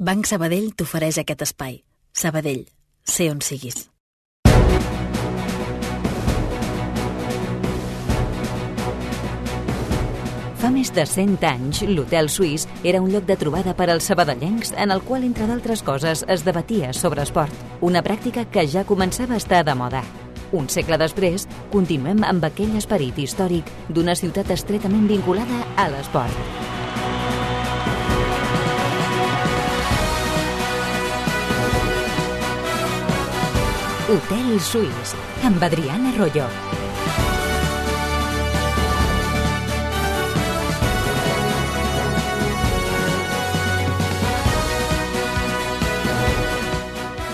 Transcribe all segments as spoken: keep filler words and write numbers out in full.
Banc Sabadell t'ofereix aquest espai. Sabadell, sé on siguis. Fa més de cent anys, l'Hotel Suís era un lloc de trobada per als sabadellencs en el qual, entre d'altres coses, es debatia sobre esport. Una pràctica que ja començava a estar de moda. Un segle després, continuem amb aquell esperit històric d'una ciutat estretament vinculada a l'esport. Hotel Suís, amb Adriana Royo.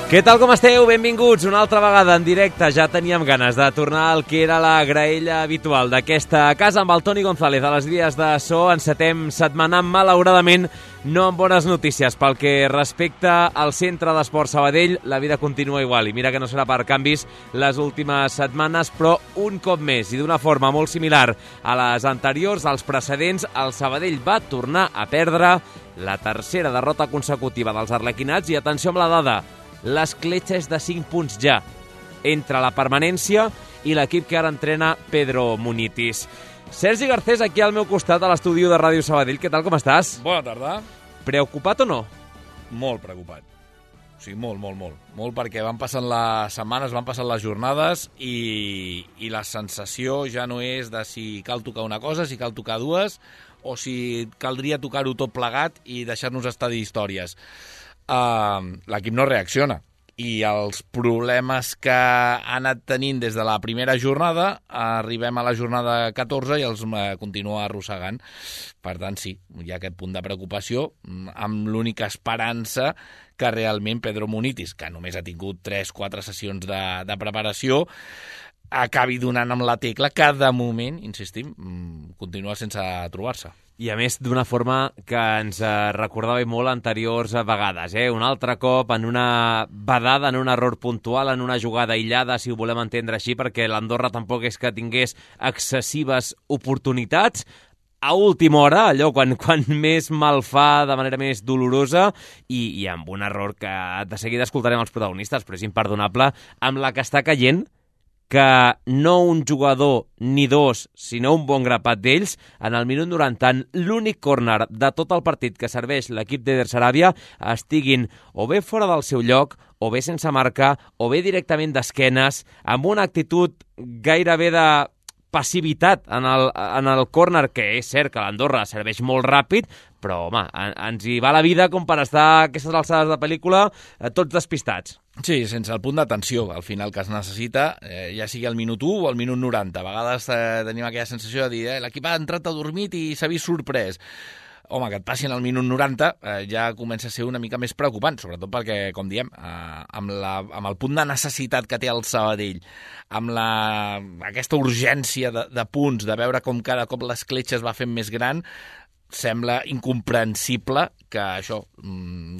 Què tal, com esteu? Benvinguts una altra vegada en directe. Ja teníem ganes de tornar al que era la graella habitual d'aquesta casa amb el Toni González a les vies de so. Encetem setmana, malauradament, no amb bones notícies. Pel que respecta al Centre d'Esport Sabadell, la vida continua igual. I mira que no serà per canvis les últimes setmanes, però un cop més i d'una forma molt similar a les anteriors, als precedents, el Sabadell va tornar a perdre la tercera derrota consecutiva dels arlequinats. I atenció amb la dada, l'escletxa és de cinc punts ja entre la permanència i l'equip que ara entrena Pedro Munitis. Sergi Garcés, aquí al meu costat a l'estudi de Ràdio Sabadell. Què tal, com estàs? Bona tarda. Preocupat o no? Molt preocupat. O sigui, molt, molt, molt. Molt perquè van passant les setmanes, van passant les jornades i, i la sensació ja no és de si cal tocar una cosa, si cal tocar dues, o si caldria tocar-ho tot plegat i deixar-nos estar d'històries. Uh, l'equip no reacciona i els problemes que ha anat tenint des de la primera jornada, arribem a la jornada catorze i els uh, continua arrossegant. Per tant, sí, hi ha aquest punt de preocupació, amb l'única esperança que realment Pedro Munitis, que només ha tingut tres quatre sessions de, de preparació, acabi donant amb la tecla que de moment, insistim, continua sense trobar-se. I a més d'una forma que ens recordava molt anteriors vegades, eh? Un altre cop en una badada, en un error puntual, en una jugada aïllada, si ho volem entendre així, perquè l'Andorra tampoc és que tingués excessives oportunitats. A última hora, allò quan, quan més mal fa, de manera més dolorosa, i, i amb un error que de seguida escoltarem els protagonistes, però és imperdonable, amb la que està caient, que no un jugador ni dos, sinó un bon grapat d'ells, en el minut noranta, en l'únic córner de tot el partit que serveix l'equip d'Eder Saràbia, estiguin o bé fora del seu lloc, o bé sense marcar, o bé directament d'esquenes, amb una actitud gairebé de passivitat en el, en el córner, que és cert que l'Andorra serveix molt ràpid, però, home, en, ens hi va la vida com per estar a aquestes alçades de pel·lícula eh, tots despistats. Sí, sense el punt d'atenció, al final, que es necessita, eh, ja sigui al minut u o al minut noranta. A vegades eh, tenim aquella sensació de dir eh, l'equip ha entrat adormit i s'ha vist sorprès. Home, que et passin al minut noranta eh, ja comença a ser una mica més preocupant, sobretot perquè, com diem, eh, amb, la, amb el punt de necessitat que té el Sabadell, amb la, aquesta urgència de, de punts, de veure com cada cop l'escletxa es va fent més gran, sembla incomprensible que això,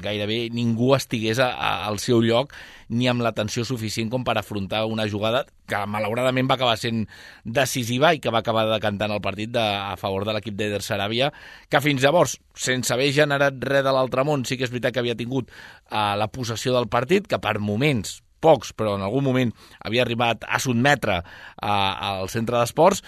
gairebé ningú estigués a, a, al seu lloc ni amb l'atenció suficient com per afrontar una jugada que malauradament va acabar sent decisiva i que va acabar decantant el partit de, a favor de l'equip d'Eder Saràbia, que fins llavors, sense haver generat res de l'altre món, sí que és veritat que havia tingut uh, la possessió del partit, que per moments, pocs, però en algun moment havia arribat a sotmetre uh, al centre d'esports,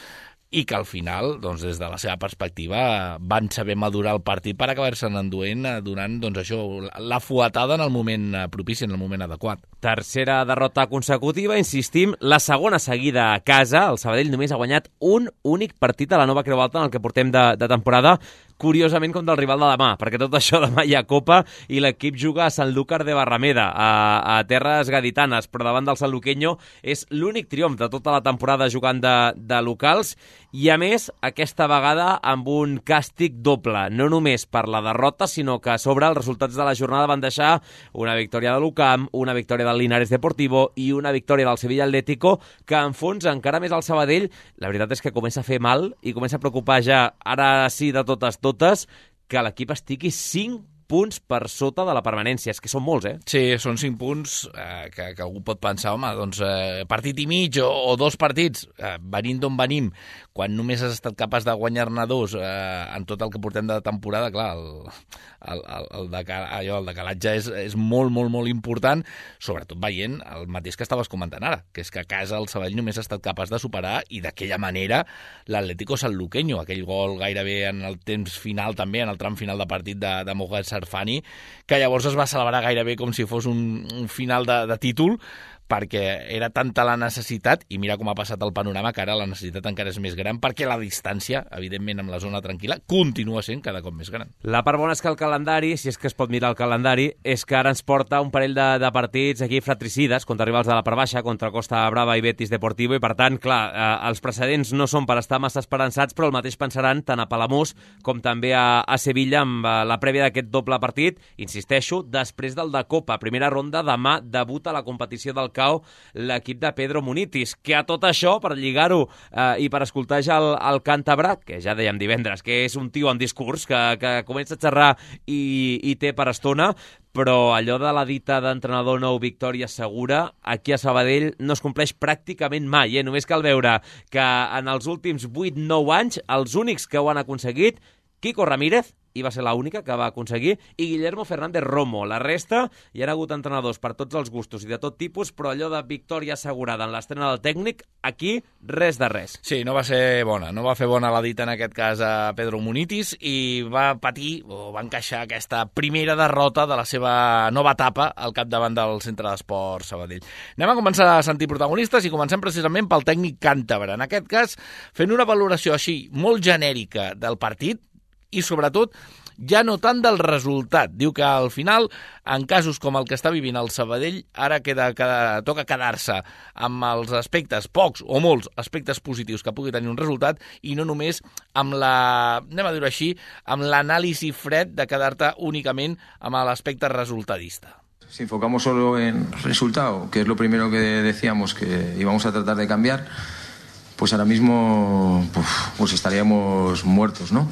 i que al final, doncs, des de la seva perspectiva, van saber madurar el partit per acabar-se'n enduent, donant doncs, això, la fuetada en el moment propici, en el moment adequat. Tercera derrota consecutiva, insistim, la segona seguida a casa. El Sabadell només ha guanyat un únic partit a la nova Creu Alta en el que portem de, de temporada, curiosament com del rival de demà, perquè tot això demà hi ha Copa i l'equip juga a Sanlúcar de Barrameda, a, a terres gaditanes, però davant del sanluqueño és l'únic triomf de tota la temporada jugant de, de locals, i a més, aquesta vegada amb un càstig doble, no només per la derrota, sinó que a sobre els resultats de la jornada van deixar una victòria de l'U C A M, una victòria del Linares Deportivo i una victòria del Sevilla Atlético, que enfonsa encara més el Sabadell. La veritat és que comença a fer mal i comença a preocupar ja, ara sí de totes totes, que l'equip estigui cinc punts per sota de la permanència. És que són molts, eh? Sí, són cinc punts eh, que, que algú pot pensar, home, doncs eh, partit i mig o, o dos partits, eh, venint d'on venim, quan només has estat capaç de guanyar-ne dos eh, en tot el que portem de temporada, clar, el, el, el, el, decal, allò, el decalatge és, és molt, molt, molt important, sobretot veient el mateix que estaves comentant ara, que és que a casa el Sabadell només ha estat capaç de superar i d'aquella manera l'Atlético Sanluqueño, aquell gol gairebé en el temps final també, en el tram final de partit de, de Mohamed Sarfani, que llavors es va celebrar gairebé com si fos un, un final de, de títol, perquè era tanta la necessitat, i mira com ha passat el panorama, que ara la necessitat encara és més gran, perquè la distància, evidentment, amb la zona tranquil·la, continua sent cada cop més gran. La part bona és que el calendari, si és que es pot mirar el calendari, és que ara ens porta un parell de, de partits aquí fratricides, contra rivals de la part baixa, contra Costa Brava i Betis Deportivo, i per tant, clar, eh, els precedents no són per estar massa esperançats, però el mateix pensaran tant a Palamós com també a, a Sevilla amb eh, la prèvia d'aquest doble partit, insisteixo, després del de Copa. Primera ronda, demà debuta la competició del l'equip de Pedro Munitis, que a tot això, per lligar-ho eh, i per escoltar ja el, el càntabre, que ja dèiem divendres, que és un tio amb discurs, que, que comença a xerrar i, i té per estona, però allò de la dita d'entrenador nou victòria segura, aquí a Sabadell no es compleix pràcticament mai, eh? Només cal veure que en els últims vuit nou anys, els únics que ho han aconseguit, Quico Ramírez, i va ser l'única que va aconseguir, i Guillermo Fernández Romo. La resta, hi ha hagut entrenadors per tots els gustos i de tot tipus, però allò de victòria assegurada en l'estrena del tècnic, aquí res de res. Sí, no va ser bona, no va fer bona la dita en aquest cas a Pedro Munitis i va patir, o va encaixar aquesta primera derrota de la seva nova etapa al capdavant del Centre d'Esport Sabadell. Anem a començar a sentir protagonistes i comencem precisament pel tècnic càntabre. En aquest cas, fent una valoració així molt genèrica del partit, i sobretot ja no tant del resultat. Diu que al final, en casos com el que està vivint el Sabadell, ara queda, queda, toca quedar-se amb els aspectes, pocs o molts aspectes positius que pugui tenir un resultat, i no només amb la, anem a dir-ho així, amb l'anàlisi fred de quedar-te únicament amb l'aspecte resultadista. Si enfocamos solo en resultado, que es lo primero que decíamos que íbamos a tratar de cambiar, pues ahora mismo pues, pues estaríamos muertos, ¿no?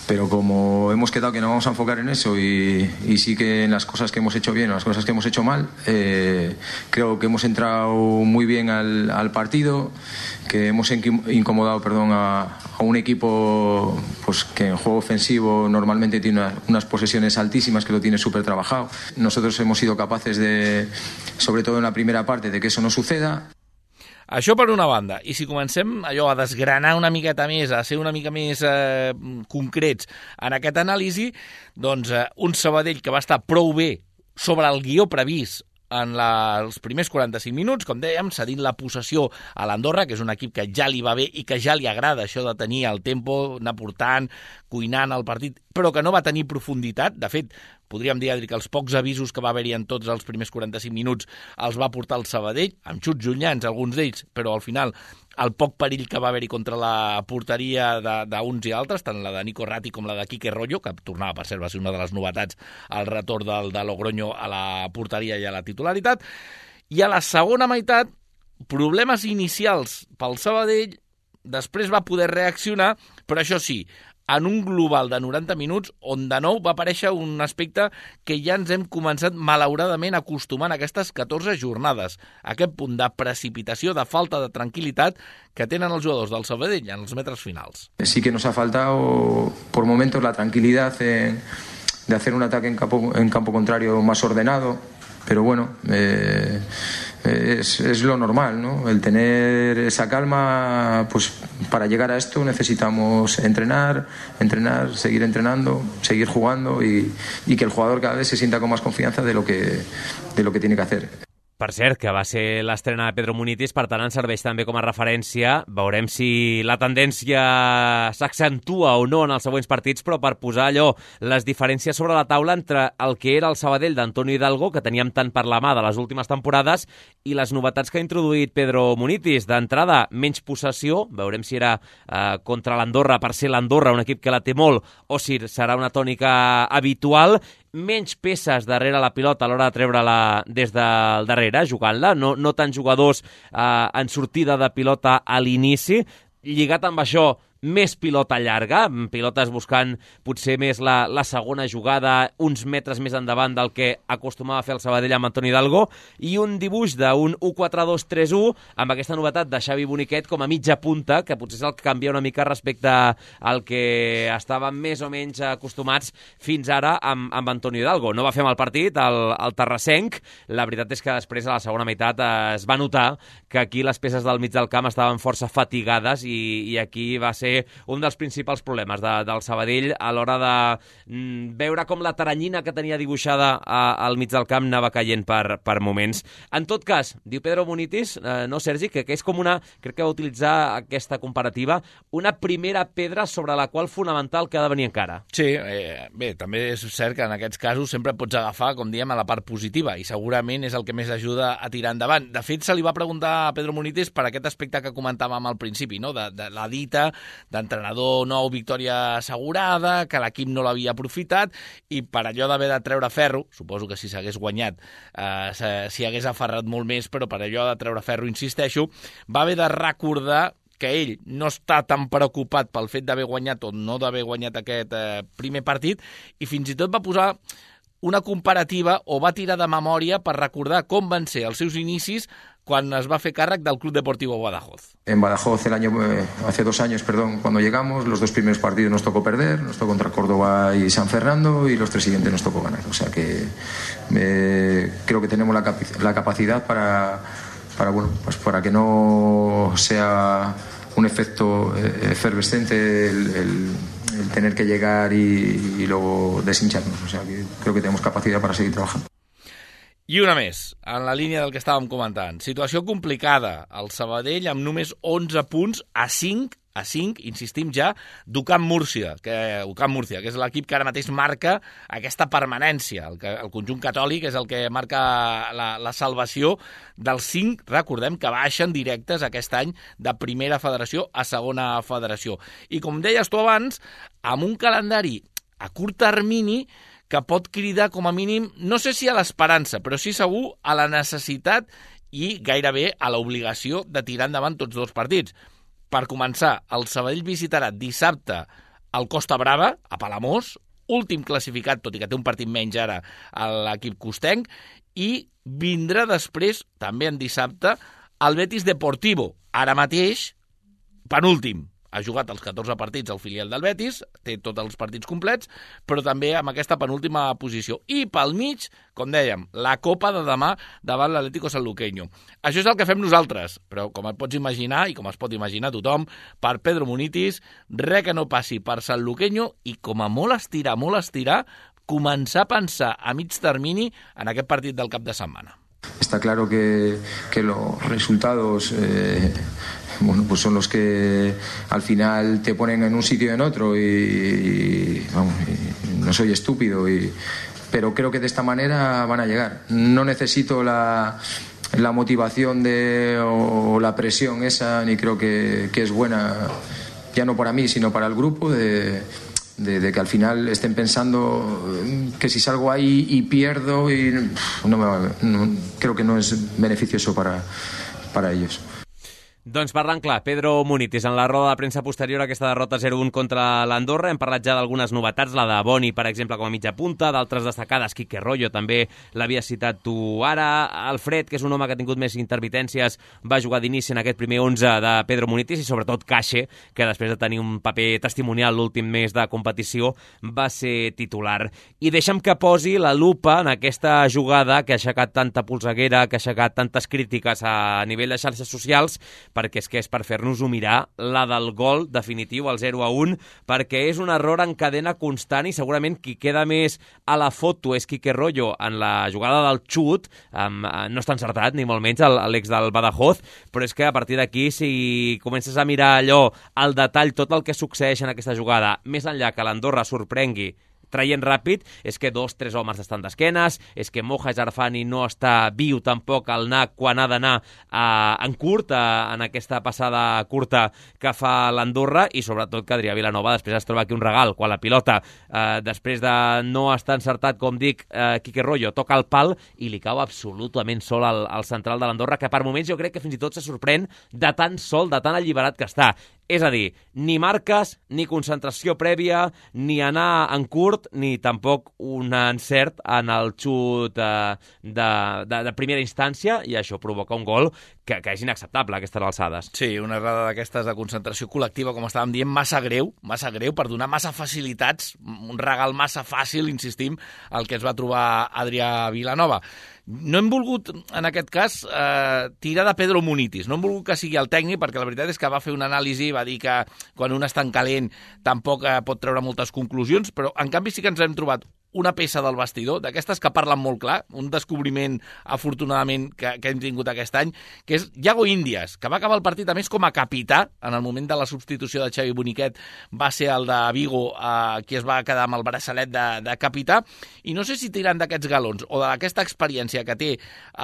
Pero como hemos quedado que no vamos a enfocar en eso y, y sí que en las cosas que hemos hecho bien o las cosas que hemos hecho mal, eh, creo que hemos entrado muy bien al, al partido, que hemos incomodado perdón, a, a un equipo pues, que en juego ofensivo normalmente tiene unas, unas posesiones altísimas, que lo tiene súper trabajado. Nosotros hemos sido capaces de, sobre todo en la primera parte, de que eso no suceda. Això per una banda, i si comencem allò a desgranar una miqueta més, a ser una mica més eh, concrets en aquest anàlisi, doncs eh, un Sabadell que va estar prou bé sobre el guió previst en la, els primers quaranta-cinc minuts, com dèiem, cedint la possessió a l'Andorra, que és un equip que ja li va bé i que ja li agrada això de tenir el tempo, anar portant, cuinant el partit, però que no va tenir profunditat. De fet, podríem dir, Adri, que els pocs avisos que va haver-hi en tots els primers quaranta-cinc minuts els va portar el Sabadell, amb xuts llunyans, alguns d'ells, però al final el poc perill que va haver-hi contra la porteria d'uns i altres, tant la de Nico Ratti com la de Quique Rollo, que tornava, per cert, va ser una de les novetats al retorn del, de Logroño a la porteria i a la titularitat. I a la segona meitat, problemes inicials pel Sabadell, després va poder reaccionar, però això sí, en un global de noranta minuts, on de nou va aparèixer un aspecte que ja ens hem començat malauradament acostumant a aquestes catorze jornades. Aquest punt de precipitació, de falta de tranquil·litat que tenen els jugadors del Sabadell en els metres finals. Sí que nos ha faltado por momentos la tranquilidad en, de hacer un ataque en campo, en campo contrario más ordenado, pero bueno... Eh, Es, es lo normal, ¿no? El tener esa calma, pues para llegar a esto necesitamos entrenar, entrenar, seguir entrenando, seguir jugando y, y que el jugador cada vez se sienta con más confianza de lo que, de lo que tiene que hacer. Per cert, que va ser l'estrena de Pedro Munitis, per tant, ens serveix també com a referència. Veurem si la tendència s'accentua o no en els següents partits, però per posar allò, les diferències sobre la taula entre el que era el Sabadell d'Antonio Hidalgo, que teníem tant per la mà de les últimes temporades, i les novetats que ha introduït Pedro Munitis. D'entrada, menys possessió, veurem si era eh, contra l'Andorra, per ser l'Andorra un equip que la té molt, o si serà una tònica habitual, menys peces darrere la pilota a l'hora de treure-la des del darrere, jugant-la, no, no tants jugadors eh, en sortida de pilota a l'inici. Lligat amb això, més pilota llarga, pilotes buscant potser més la, la segona jugada, uns metres més endavant del que acostumava a fer el Sabadell amb Antoni Hidalgo, i un dibuix d'un u quatre dos tres u amb aquesta novetat de Xavi Boniquet com a mitja punta, que potser és el que canvia una mica respecte al que estàvem més o menys acostumats fins ara amb, amb Antoni Hidalgo. No va fer mal partit el, el terrassenc, la veritat és que després a la segona meitat es va notar que aquí les peces del mig del camp estaven força fatigades i, i aquí va ser un dels principals problemes de, del Sabadell a l'hora de mm, veure com la taranyina que tenia dibuixada a, al mig del camp anava caient per, per moments. En tot cas, diu Pedro Munitis, eh, no Sergi, que, que és com una, crec que va utilitzar aquesta comparativa, una primera pedra sobre la qual fonamentar el que ha de venir encara. Sí, eh, bé, també és cert que en aquests casos sempre pots agafar, com diem, a la part positiva i segurament és el que més ajuda a tirar endavant. De fet, se li va preguntar a Pedro Munitis per aquest aspecte que comentàvem al principi, no? de, de la dita d'entrenador nou, victòria assegurada, que l'equip no l'havia aprofitat, i per allò d'haver de treure ferro, suposo que si s'hagués guanyat eh, s'hi hagués aferrat molt més, però per allò de treure ferro, insisteixo, va haver de recordar que ell no està tan preocupat pel fet d'haver guanyat o no d'haver guanyat aquest eh, primer partit, i fins i tot va posar una comparativa o va tirar de memòria per recordar com van ser els seus inicis quan es va fer càrrec del Club Deportivo Badajoz. En Badajoz, el año, eh, hace dos años, perdón, cuando llegamos, los dos primeros partidos nos tocó perder, nos tocó contra Córdoba y San Fernando, y los tres siguientes nos tocó ganar. O sea que eh, creo que tenemos la, cap- la capacidad para, para, bueno, pues para que no sea un efecto eh, efervescente el, el, el tener que llegar y, y luego deshincharnos. O sea que creo que tenemos capacidad para seguir trabajando. I una més, en la línia del que estàvem comentant. Situació complicada. El Sabadell amb només onze punts a cinc, a cinc, insistim ja, d'Ucam Múrcia, que, Ucam Múrcia, que és l'equip que ara mateix marca aquesta permanència. El, que, el conjunt catòlic és el que marca la, la salvació dels cinc, recordem, que baixen directes aquest any de primera federació a segona federació. I com deies tu abans, amb un calendari a curt termini que pot cridar com a mínim, no sé si a l'esperança, però sí segur a la necessitat i gairebé a l'obligació de tirar endavant tots dos partits. Per començar, el Sabadell visitarà dissabte el Costa Brava, a Palamós, últim classificat, tot i que té un partit menys ara a l'equip costenc, i vindrà després, també en dissabte, el Betis Deportivo, ara mateix, penúltim. Ha jugat els catorze partits al filial del Betis, té tots els partits complets, però també amb aquesta penúltima posició. I pel mig, com dèiem, la Copa de demà davant l'Atlético Sanluqueño. Això és el que fem nosaltres, però com et pots imaginar, i com es pot imaginar tothom, per Pedro Munitis, res que no passi per Sanluqueño i com a molt estirar, molt estirar, començar a pensar a mig termini en aquest partit del cap de setmana. Está claro que, que los resultados eh, bueno, pues son los que al final te ponen en un sitio y en otro y, y, vamos, y no soy estúpido, y, pero creo que de esta manera van a llegar. No necesito la, la motivación de, o la presión esa, ni creo que, que es buena, ya no para mí, sino para el grupo, de... De, de que al final estén pensando que si salgo ahí y pierdo, y no me va, no, creo que no es beneficioso para, para ellos. Doncs parlant clar, Pedro Munitis, en la roda de premsa posterior a aquesta derrota zero un contra l'Andorra, hem parlat ja d'algunes novetats, la de Boni, per exemple, com a mitja punta, d'altres destacades, Quique Royo, també l'havia citat tu ara, Alfred, que és un home que ha tingut més intermitències, va jugar d'inici en aquest primer onze de Pedro Munitis, i sobretot Caixe, que després de tenir un paper testimonial l'últim mes de competició, va ser titular. I deixa'm que posi la lupa en aquesta jugada que ha aixecat tanta polseguera, que ha aixecat tantes crítiques a nivell de xarxes socials, perquè és que és per fer-nos-ho mirar, la del gol definitiu, el zero a un, perquè és un error en cadena constant i segurament qui queda més a la foto és Quique Royo en la jugada del xut, um, no està encertat, ni molt menys, l'ex del Badajoz, però és que a partir d'aquí, si comences a mirar allò, al detall, tot el que succeeix en aquesta jugada, més enllà que l'Andorra sorprengui traient ràpid, és que dos, tres homes estan d'esquenes, és que Moja Jarfani no està viu tampoc al N A C quan ha d'anar eh, en curt, eh, en aquesta passada curta que fa l'Andorra, i sobretot que Adrià Vilanova després es troba aquí un regal, quan la pilota, eh, després de no estar encertat, com dic, eh, Quique Royo, toca el pal i li cau absolutament sol al, al central de l'Andorra, que per moments jo crec que fins i tot se sorprèn de tan sol, de tan alliberat que està. És a dir, ni marques, ni concentració prèvia, ni anar en curt, ni tampoc un encert en el xut eh, de, de, de primera instància, i això provoca un gol que, que és inacceptable a aquestes alçades. Sí, una errada d'aquestes de concentració col·lectiva, com estàvem dient, massa greu, massa greu, per donar massa facilitats, un regal massa fàcil, insistim, el que es va trobar Adrià Vilanova. No hem volgut, en aquest cas, eh, tirar de Pedro Munitis. No hem volgut que sigui el tècnic, perquè la veritat és que va fer una anàlisi, va dir que quan un està en calent tampoc eh, pot treure moltes conclusions, però en canvi sí que ens hem trobat una peça del vestidor, d'aquestes que parlen molt clar, un descobriment, afortunadament, que, que hem tingut aquest any, que és Yago Indias, que va acabar el partit, a més, com a capità, en el moment de la substitució de Xavi Boniquet, va ser el de Vigo, eh, qui es va quedar amb el braçalet de, de capità, i no sé si tirant d'aquests galons o d'aquesta experiència que té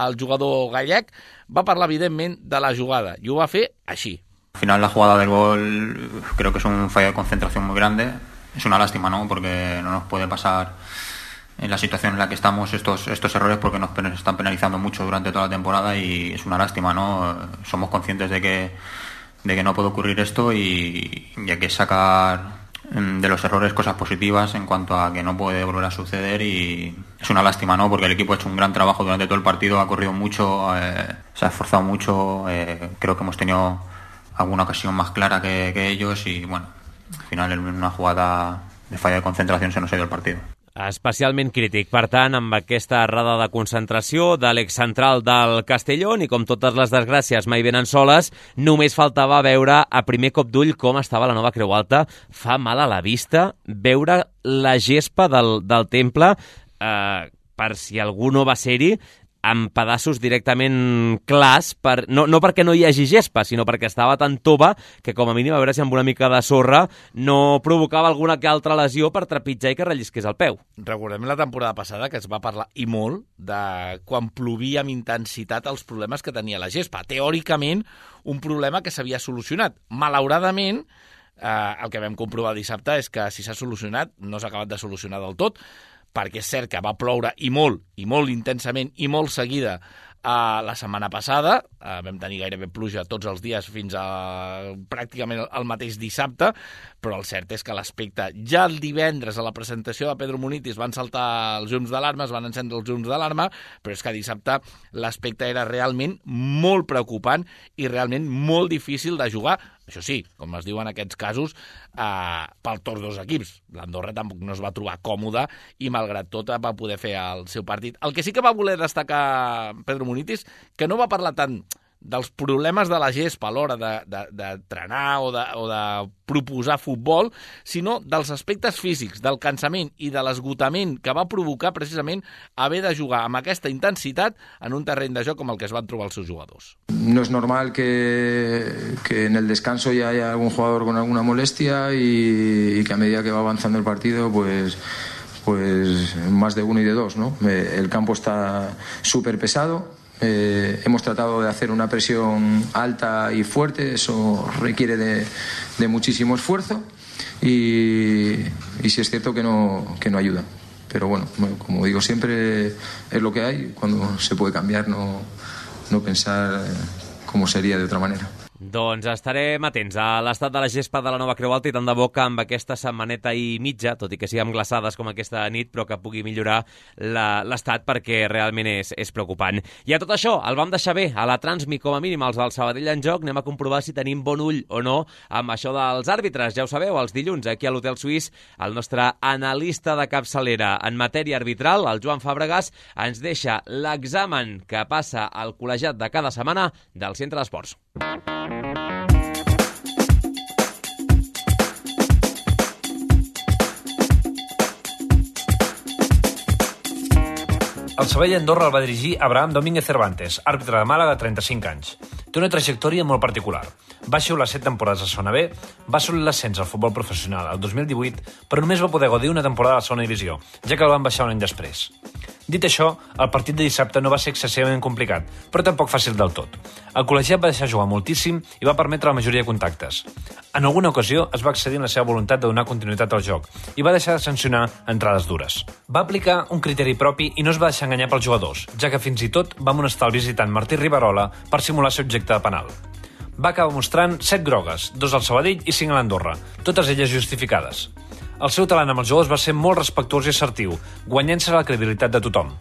el jugador gallec, va parlar, evidentment, de la jugada, i ho va fer així. Al final la jugada del gol creo que es un fallo de concentración muy grande. Es una lástima, ¿no? Porque no nos puede pasar en la situación en la que estamos estos, estos errores, porque nos están penalizando mucho durante toda la temporada y es una lástima, ¿no? Somos conscientes de que, de que no puede ocurrir esto y, y hay que sacar de los errores cosas positivas en cuanto a que no puede volver a suceder, y es una lástima, ¿no? Porque el equipo ha hecho un gran trabajo durante todo el partido, ha corrido mucho, eh, se ha esforzado mucho, eh, creo que hemos tenido alguna ocasión más clara que, que ellos y bueno, al final en una jugada de falla de concentración se nos ha ido el partido. Especialment crític, per tant, amb aquesta errada de concentració de l'excentral del Castellón, i com totes les desgràcies mai venen soles, només faltava veure a primer cop d'ull com estava la nova Creu Alta. Fa mal a la vista veure la gespa del, del temple, eh, per si algú no va ser-hi, amb pedaços directament clars, per, no, no perquè no hi hagi gespa, sinó perquè estava tan tova que com a mínim a veure si amb una mica de sorra no provocava alguna que altra lesió per trepitjar i que rellisqués el peu. Recordem la temporada passada que es va parlar i molt de quan plovia amb intensitat els problemes que tenia la gespa. Teòricament, un problema que s'havia solucionat. Malauradament, eh, el que vam comprovar dissabte és que si s'ha solucionat no s'ha acabat de solucionar del tot, perquè és cert que va ploure i molt, i molt intensament, i molt seguida uh, la setmana passada. Uh, vam tenir gairebé pluja tots els dies fins a pràcticament el mateix dissabte, però el cert és que l'aspecte, ja el divendres a la presentació de Pedro Munitis van saltar els llums d'alarma, es van encendre els llums d'alarma, però és que dissabte l'aspecte era realment molt preocupant i realment molt difícil de jugar. Això sí, com es diu en aquests casos, eh, per tots dos equips. L'Andorra tampoc no es va trobar còmode i, malgrat tot, va poder fer el seu partit. El que sí que va voler destacar Pedro Munitis, que no va parlar tant dels problemes de la gespa a l'hora de, de, de trenar o de, o de proposar futbol, sinó dels aspectes físics, del cansament i de l'esgotament que va provocar precisament haver de jugar amb aquesta intensitat en un terreny de joc com el que es van trobar els seus jugadors. No es normal que, que en el descanso ya haya algún jugador con alguna molestia y, y que a medida que va avanzando el partido, pues, pues más de uno y de dos, ¿no? El campo está súper pesado. Eh, hemos tratado de hacer una presión alta y fuerte, eso requiere de, de muchísimo esfuerzo y, y sí es cierto que no, que no ayuda. Pero bueno, como digo siempre, es lo que hay, cuando se puede cambiar, no, no pensar cómo sería de otra manera. Doncs estarem atents a l'estat de la gespa de la nova Creu Alta i tant de bo que amb aquesta setmaneta i mitja, tot i que siguem glaçades com aquesta nit, però que pugui millorar l'estat perquè realment és, és preocupant. I a tot això, el vam deixar bé a la Transmi, com a mínim els del Sabadell en joc. Anem a comprovar si tenim bon ull o no amb això dels àrbitres. Ja ho sabeu, els dilluns aquí a l'Hotel Suís, el nostre analista de capçalera en matèria arbitral, el Joan Fàbregas, ens deixa l'examen que passa al col·legiat de cada setmana del Centre d'Esports. El Sabadell Andorra el va dirigir Abraham Domínguez Cervantes, àrbitre de Màlaga de trenta-cinc anys. Té una trajectòria molt particular. Va xiular set temporades a Segona B, va assolir l'ascens al futbol professional el dos mil divuit, però només va poder gaudir una temporada a la segona divisió, ja que el van baixar un any després. Dit això, el partit de dissabte no va ser excessivament complicat, però tampoc fàcil del tot. El col·legiat va deixar jugar moltíssim i va permetre la majoria de contactes. En alguna ocasió es va accedir en la seva voluntat de donar continuïtat al joc i va deixar de sancionar entrades dures. Va aplicar un criteri propi i no es va deixar enganyar pels jugadors, ja que fins i tot va amonestar el visitant Martí Riverola per simular ser objecte de penal. va acabar mostrant set grogues, dos al Sabadell i cinc a l'Andorra, totes elles justificades. El seu talent amb els jugadors va ser molt respectuós i assertiu, guanyant-se la credibilitat de tothom.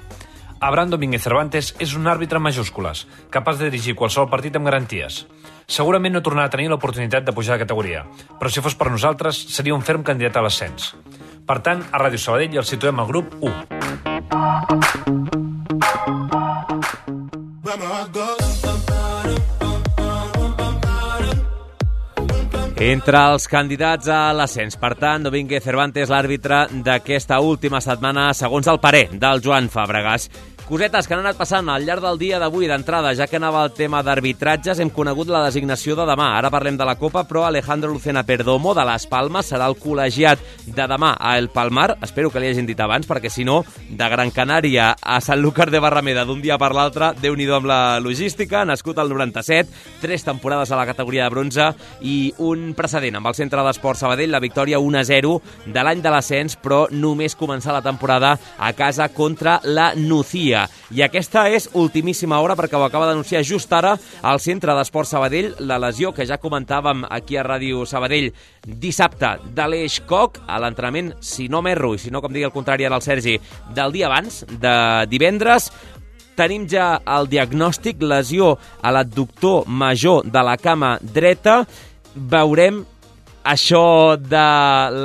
Abraham Domínguez Cervantes és un àrbitre en majúscules, capaç de dirigir qualsevol partit amb garanties. Segurament no tornarà a tenir l'oportunitat de pujar de categoria, però si fos per nosaltres seria un ferm candidat a l'ascens. Per tant, a Ràdio Sabadell el situem al grup u. Entre els candidats a l'ascens, per tant, Domínguez Cervantes, l'àrbitre d'aquesta última setmana, segons el parer del Joan Fàbregas. Cosetes que han anat passant al llarg del dia d'avui d'entrada, ja que anava el tema d'arbitratges, hem conegut la designació de demà. Ara parlem de la Copa, però Alejandro Lucena Perdomo de les Palmes serà el col·legiat de demà a El Palmar. Espero que li hagin dit abans, perquè si no, de Gran Canària a Sanlúcar de Barrameda d'un dia per l'altre, Déu-n'hi-do amb la logística, nascut al noranta-set, tres temporades a la categoria de bronze i un precedent amb el Centre d'Esport Sabadell, la victòria un a zero de l'any de l'ascens, però només començar la temporada a casa contra la Nucía. I aquesta és ultimíssima hora perquè ho acaba d'anunciar just ara al Centre d'Esport Sabadell, la lesió que ja comentàvem aquí a Ràdio Sabadell dissabte d'Aleix Koch a l'entrenament, si no m'erro, i si no, com digui el contrari ara el Sergi, del dia abans, de divendres. Tenim ja el diagnòstic, lesió a l'adductor major de la cama dreta. Veurem això de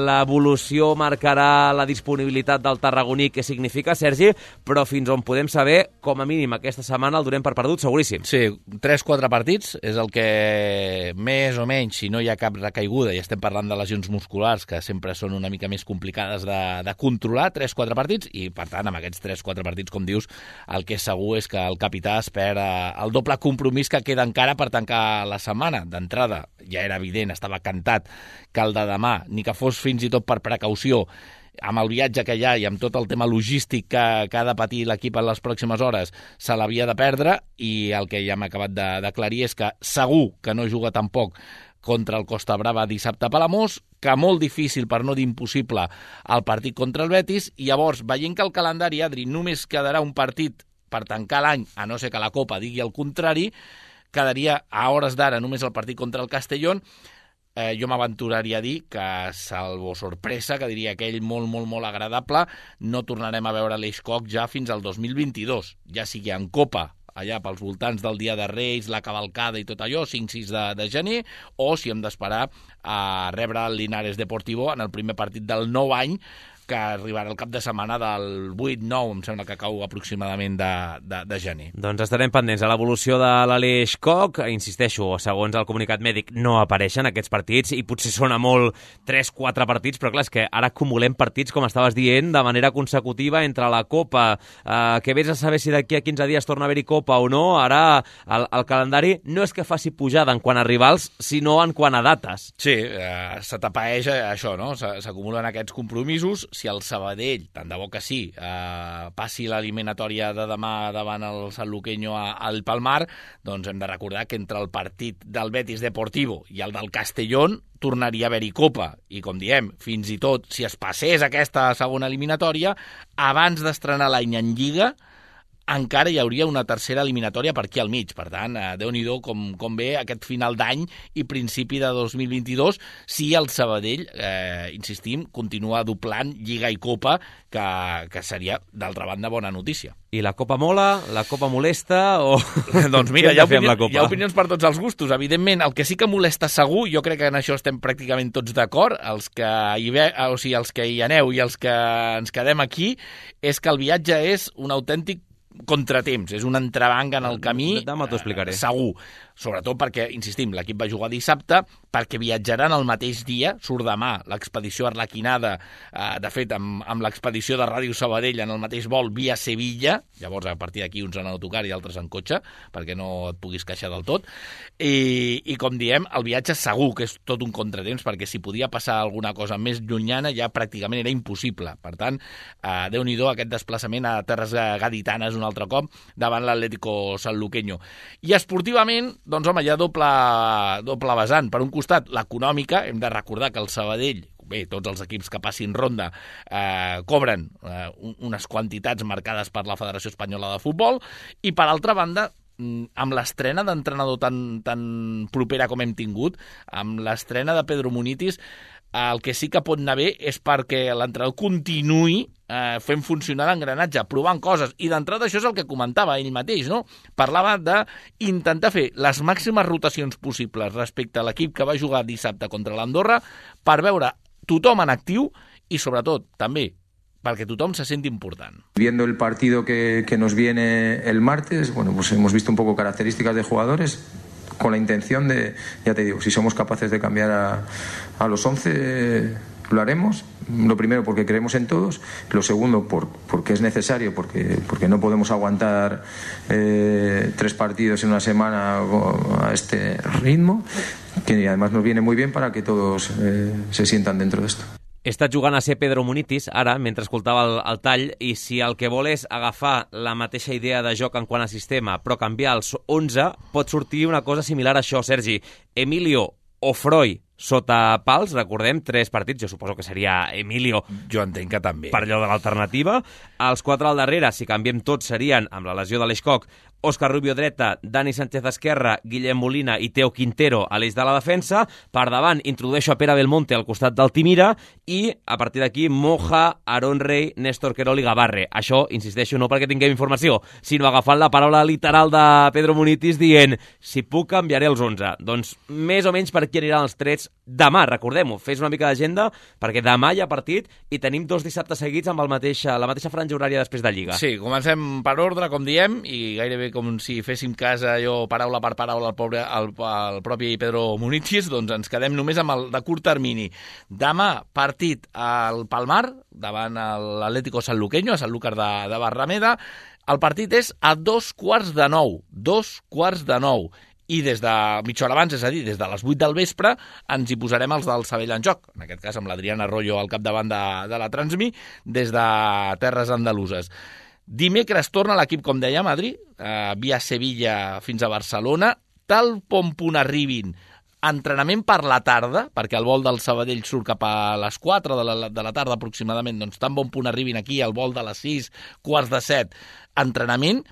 l'evolució marcarà la disponibilitat del tarragoní, què significa, Sergi, però fins on podem saber, com a mínim aquesta setmana el donem per perdut, seguríssim. Sí, tres quatre partits és el que més o menys, si no hi ha cap recaiguda, i estem parlant de lesions musculars que sempre són una mica més complicades de, de controlar, tres quatre partits, i per tant amb aquests tres quatre partits, com dius, el que és segur és que el capità espera el doble compromís que queda encara per tancar la setmana. D'entrada, ja era evident, estava cantat que el de demà, ni que fos fins i tot per precaució, amb el viatge que hi ha i amb tot el tema logístic que, que ha de patir l'equip en les pròximes hores, se l'havia de perdre, i el que ja hem acabat d'aclarir és que segur que no juga tampoc contra el Costa Brava dissabte a Palamós, que molt difícil, per no dir impossible, el partit contra el Betis, i llavors, veient que el calendari, Adri, només quedarà un partit per tancar l'any, a no ser que la Copa digui el contrari, quedaria a hores d'ara només el partit contra el Castellón. Eh, jo m'aventuraria a dir que, salvo sorpresa, que diria aquell molt, molt, molt agradable, no tornarem a veure l'Aleix Koch ja fins al dos mil vint-i-dos, ja sigui en Copa, allà pels voltants del Dia de Reis, la cavalcada i tot allò, cinc sis de, de gener, o si hem d'esperar a rebre el Linares Deportivo en el primer partit del nou any, que arribarà el cap de setmana del vuit nou, em sembla que cau aproximadament de, de, de gener. Doncs estarem pendents a l'evolució de l'Aleix Koch. Insisteixo, segons el comunicat mèdic, no apareixen aquests partits, i potser sona molt tres quatre partits, però clar, és que ara acumulem partits, com estaves dient, de manera consecutiva entre la Copa, eh, que vés a saber si d'aquí a quinze dies torna a haver-hi Copa o no. Ara el, el calendari no és que faci pujada en quant a rivals, sinó en quant a dates. Sí, eh, se tapaeix això, no? S'acumulen aquests compromisos. Si el Sabadell, tant de bo que sí, eh, passi l'eliminatòria de demà davant el Sanluqueño al Palmar, doncs hem de recordar que entre el partit del Betis Deportivo i el del Castellón tornaria a haver-hi Copa. I com diem, fins i tot si es passés aquesta segona eliminatòria, abans d'estrenar l'any en Lliga, encara hi hauria una tercera eliminatòria per aquí al mig. Per tant, eh, Déu-n'hi-do com, com ve aquest final d'any i principi de dos mil vint-i-dos, si el Sabadell, eh, insistim, continua doblant Lliga i Copa, que, que seria, d'altra banda, bona notícia. I la Copa mola? La Copa molesta? O... doncs mira, hi ha, opinió, hi ha opinions per tots els gustos. Evidentment, el que sí que molesta segur, jo crec que en això estem pràcticament tots d'acord, els que hi ve, o sigui, els que hi aneu i els que ens quedem aquí, és que el viatge és un autèntic contratemps, és un entrebanc en el camí, Demà t'ho explicaré. Eh, segur. Sobretot perquè, insistim, l'equip va jugar dissabte, perquè viatjaran el mateix dia, surt demà l'expedició arlequinada, eh, de fet, amb, amb l'expedició de Ràdio Sabadell en el mateix vol via Sevilla, llavors a partir d'aquí uns en autocar i altres en cotxe, perquè no et puguis queixar del tot, i, i com diem, el viatge segur que és tot un contratemps, perquè si podia passar alguna cosa més llunyana ja pràcticament era impossible. Per tant, eh, Déu-n'hi-do aquest desplaçament a terres gaditanes un altre cop davant l'Atlético Sanluqueño. I esportivament, doncs home, hi ha doble, doble vessant. Per un costat, l'econòmica, hem de recordar que el Sabadell, bé, tots els equips que passin ronda eh, cobren eh, unes quantitats marcades per la Federació Espanyola de Futbol, i per altra banda, amb l'estrena d'entrenador tan, tan propera com hem tingut, amb l'estrena de Pedro Munitis, el que sí que pot anar bé és perquè l'entrenador continuï eh, fent funcionar l'engranatge, provant coses. I d'entrada això és el que comentava ell mateix, no? Parlava d'intentar fer les màximes rotacions possibles respecte a l'equip que va jugar dissabte contra l'Andorra per veure tothom en actiu i, sobretot, també perquè tothom se senti important. Viendo el partido que, que nos viene el martes, bueno, pues hemos visto un poco características de jugadores con la intención de, ya te digo, si somos capaces de cambiar a, a los once, lo haremos. Lo primero porque creemos en todos, lo segundo por, porque es necesario, porque, porque no podemos aguantar eh, tres partidos en una semana a este ritmo, que además nos viene muy bien para que todos eh, se sientan dentro de esto. He estat jugant a ser Pedro Munitis, ara, mentre escoltava el, el tall, i si el que vol és agafar la mateixa idea de joc en quant a sistema, però canviar els onze, pot sortir una cosa similar a això, Sergi. Emilio Ofroi sota pals, recordem, tres partits, jo suposo que seria Emilio. Jo entenc que també. Per allò de l'alternativa. Els quatre al darrere, si canviem tots, serien, amb la lesió de l'Eixcock, Òscar Rubio dreta, Dani Sánchez esquerra, Guillem Molina i Teo Quintero a l'eix de la defensa. Per davant introdueixo a Pere Belmonte al costat d'Altimira i a partir d'aquí Moja, Aaron Rey, Néstor Querol i Gavarre. Això, insisteixo, no perquè tinguem informació, sinó agafant la paraula literal de Pedro Munitis dient si puc canviaré els onze. Doncs més o menys per aquí aniran els trets demà, recordem-ho, fes una mica d'agenda perquè demà hi ha partit i tenim dos dissabtes seguits amb el mateix, la mateixa franja horària després de Lliga. Sí, comencem per ordre, com diem, i gairebé com si féssim cas allò paraula per paraula al, pobre, al, al propi Pedro Munitis, doncs ens quedem només amb el de curt termini. Demà, partit al Palmar, davant l'Atlético Sanluqueño, a Sanlúcar de, de Barrameda. El partit és a dos quarts de nou, dos quarts de nou. I des de mitja hora abans, és a dir, des de les vuit del vespre, ens hi posarem els del Sabell en joc, en aquest cas amb l'Adrián Arroyo al capdavant de, de la Transmi, des de Terres Andaluses. Dimecres torna l'equip, com deia, a Madrid, eh, via Sevilla fins a Barcelona, tal com punt arribin, entrenament per la tarda, perquè el vol del Sabadell surt cap a les quatre de la, de la tarda aproximadament, doncs tan bon punt arribin aquí, el vol de les sis, quarts de set, entrenament,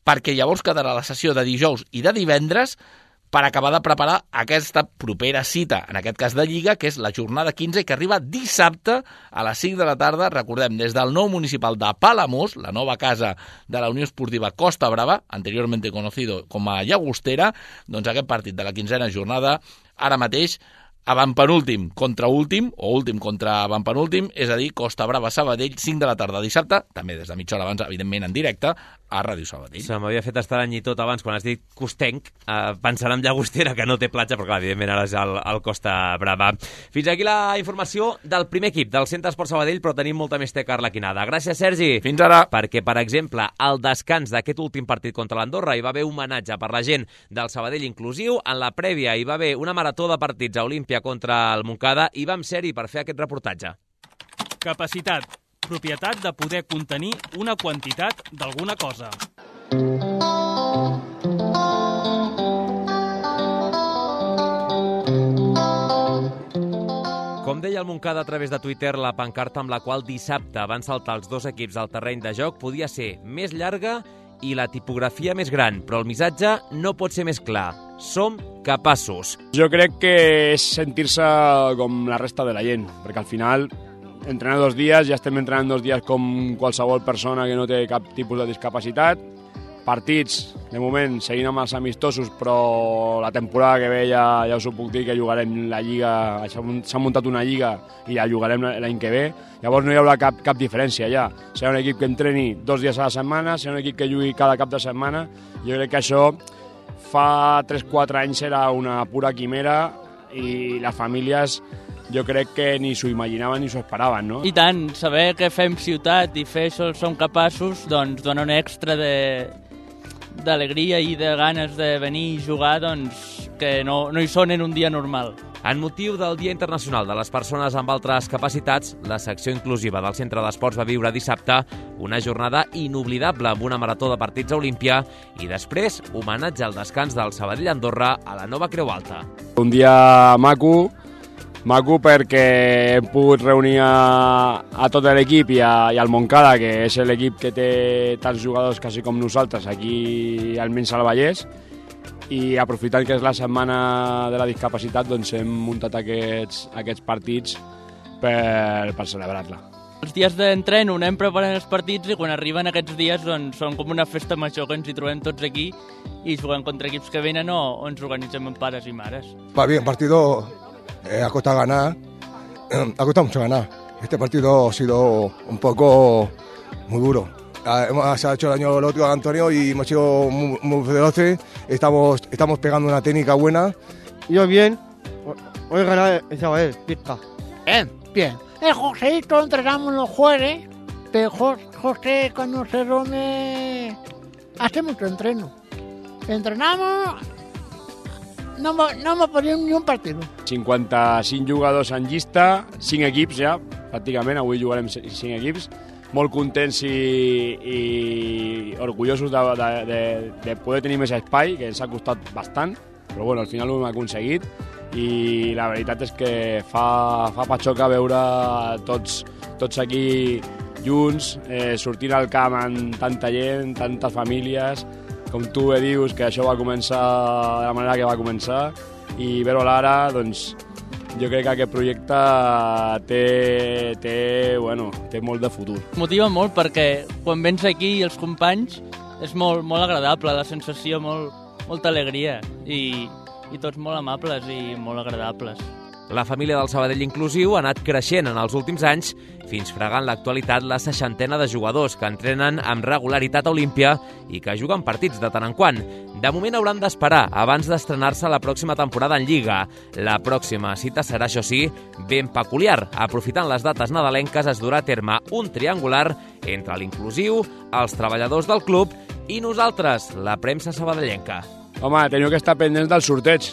perquè llavors quedarà la sessió de dijous i de divendres per acabar de preparar aquesta propera cita, en aquest cas de Lliga, que és la jornada quinze, que arriba dissabte a les cinc de la tarda, recordem, des del nou municipal de Palamós, la nova casa de la Unió Esportiva Costa Brava, anteriorment conocido com a Llagostera, doncs aquest partit de la quinzena jornada, ara mateix, avantpenúltim contra últim, o últim contra avantpenúltim, és a dir, Costa Brava Sabadell, cinc de la tarda dissabte, també des de mitja hora abans, evidentment en directe, a Ràdio Sabadell. Se m'havia fet estrany i tot abans, quan has dit costenc, eh, pensant en Llagostera, que no té platja, però clar, evidentment ara és el, el Costa Brava. Fins aquí la informació del primer equip, del Centre Esport Sabadell, però tenim molta més teca arlequinada. Gràcies, Sergi. Fins ara. Perquè, per exemple, al descans d'aquest últim partit contra l'Andorra hi va haver un homenatge per la gent del Sabadell inclusiu. En la prèvia hi va haver una marató de partits a Olímpia contra el Montcada i vam ser-hi per fer aquest reportatge. Capacitat, propietat de poder contenir una quantitat d'alguna cosa. Com deia el Montcada a través de Twitter, la pancarta amb la qual dissabte van saltar els dos equips al terreny de joc podia ser més llarga i la tipografia més gran, però el missatge no pot ser més clar. Som capaços. Jo crec que és sentir-se com la resta de la gent, perquè al final entrenar dos dies, ja estem entrenant dos dies com qualsevol persona que no té cap tipus de discapacitat. Partits, de moment, seguint amb els amistosos, però la temporada que ve ja, ja us ho puc dir que jugarem la Lliga, s'ha muntat una Lliga i la jugarem l'any que ve. Llavors no hi haurà cap, cap diferència ja. Serà un equip que entreni dos dies a la setmana, serà un equip que jugui cada cap de setmana. Jo crec que això fa tres quatre anys era una pura quimera i les famílies jo crec que ni s'ho imaginaven ni s'ho esperaven, no? I tant, saber que fem ciutat i fer això som capaços, doncs dona un extra de d'alegria i de ganes de venir i jugar, doncs que no, no hi són en un dia normal. En motiu del Dia Internacional de les Persones amb Altres Capacitats, la secció inclusiva del Centre d'Esports va viure dissabte una jornada inoblidable amb una marató de partits a Olímpia i després homenatge al descans del Sabadell Andorra a la nova Creu Alta. Un dia maco, maco perquè hem pogut reunir a, a tot l'equip i, a, i al Montcada, que és l'equip que té tants jugadors quasi com nosaltres aquí almenys al Vallès, i aprofitant que és la setmana de la discapacitat, doncs hem muntat aquests, aquests partits per, per celebrar-la. Els dies d'entreno anem preparant els partits i quan arriben aquests dies doncs, són com una festa major que ens hi trobem tots aquí i juguem contra equips que venen o, o ens organitzem amb pares i mares. Va bien, partido eh, ha costado ganar, ha costado mucho ganar. Este partido ha sido un poco muy duro. Hemos, se ha hecho el año el otro Antonio y hemos sido muy, muy veloces, estamos, estamos pegando una técnica buena. Yo bien, hoy ganar el Sabadell, pizca. Bien, bien. El Joséito entrenamos los jueves, pero José cuando se duerme hace mucho entreno. Entrenamos, no, no hemos perdido ni un partido. cinquanta-cinc jugadors en llista, cinc equips ja, pràcticament, avui jugarem cinc equips, molt contents i, i orgullosos de, de, de, de poder tenir més espai, que ens ha costat bastant, però bueno, al final ho hem aconseguit i la veritat és que fa, fa patxoca veure tots, tots aquí junts, eh, sortint al camp amb tanta gent, tantes famílies, com tu bé dius, que això va començar de la manera que va començar, i veure l'ara, doncs, jo crec que aquest projecte té, té, bueno, té molt de futur. Motiva molt perquè quan vens aquí els companys és molt, molt agradable, la sensació, molt, molta alegria i, i tots molt amables i molt agradables. La família del Sabadell Inclusiu ha anat creixent en els últims anys fins fregant l'actualitat la seixantena de jugadors que entrenen amb regularitat a Olímpia i que juguen partits de tant en quant. De moment hauran d'esperar abans d'estrenar-se la pròxima temporada en Lliga. La pròxima cita serà, això sí, ben peculiar. Aprofitant les dates nadalenques es durà a terme un triangular entre l'Inclusiu, els treballadors del club i nosaltres, la premsa sabadellenca. Home, teniu que estar pendents del sorteig,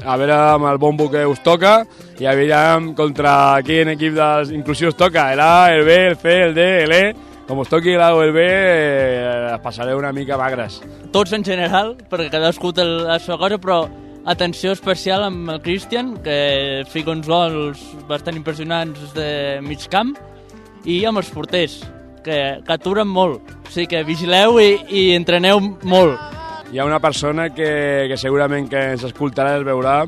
a veure amb el bombo que us toca i a veure contra quin equip dels Inclusius toca, el A, el B, el C, el D, el E. Com us toqui l'A o el B, eh, passareu una mica magres. Tots en general, perquè cadascú té la seva cosa, però atenció especial amb el Cristian, que fica uns gols bastant impressionants de mig camp, i amb els porters, que, que aturen molt. O sigui que vigileu i, i entreneu molt. Hi ha una persona que, que segurament que ens escoltarà i es veurà,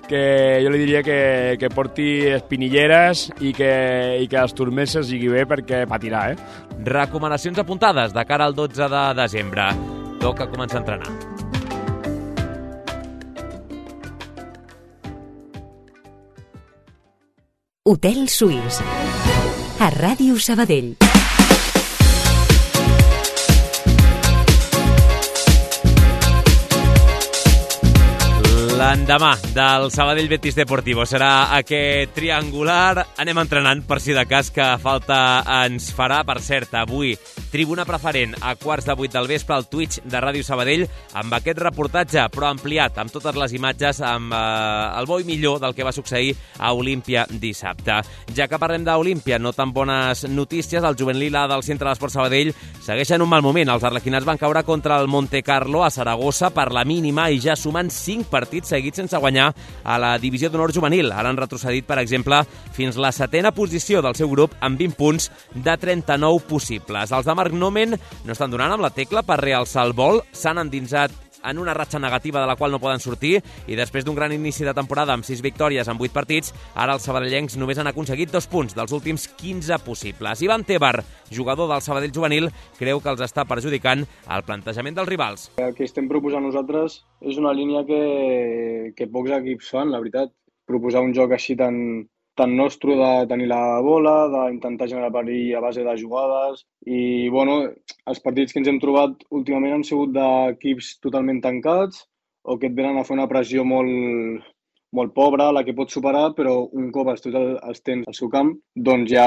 que jo li diria que, que porti espinilleres i que, i que els turments es lligui bé perquè patirà, eh? Recomanacions apuntades de cara al dotze de desembre. Toca començar a entrenar. Hotel Suís. A Ràdio Sabadell. L'endemà del Sabadell Betis Deportivo serà aquest triangular. Anem entrenant per si de cas, que falta ens farà. Per cert, avui tribuna preferent a quarts de vuit del vespre al Twitch de Ràdio Sabadell amb aquest reportatge, però ampliat, amb totes les imatges, amb eh, el bo i millor del que va succeir a Olímpia dissabte. Ja que parlem d'Olímpia, no tan bones notícies. El jovent lila del Centre d'Esport Sabadell segueixen un mal moment. Els arlequinats van caure contra el Monte Carlo a Saragossa per la mínima i ja sumen cinc partits seguits sense guanyar a la divisió d'honor juvenil. Ara han retrocedit, per exemple, fins la setena posició del seu grup amb vint punts de trenta-nou possibles. Els de Marc Nomen no estan donant amb la tecla per realçar el vol, s'han endinsat en una ratxa negativa de la qual no poden sortir i després d'un gran inici de temporada amb sis victòries en vuit partits, ara els sabadellencs només han aconseguit dos punts dels últims quinze possibles. Ivan Tebar, jugador del Sabadell juvenil, creu que els està perjudicant el plantejament dels rivals. El que estem proposant nosaltres és una línia que, que pocs equips fan, la veritat. Proposar un joc així tan, tan nostre de tenir la bola, d'intentar generar perill a base de jugades i, bueno, els partits que ens hem trobat últimament han sigut d'equips totalment tancats o que et venen a fer una pressió molt, molt pobra, la que pots superar, però un cop els, els tens al seu camp, doncs ja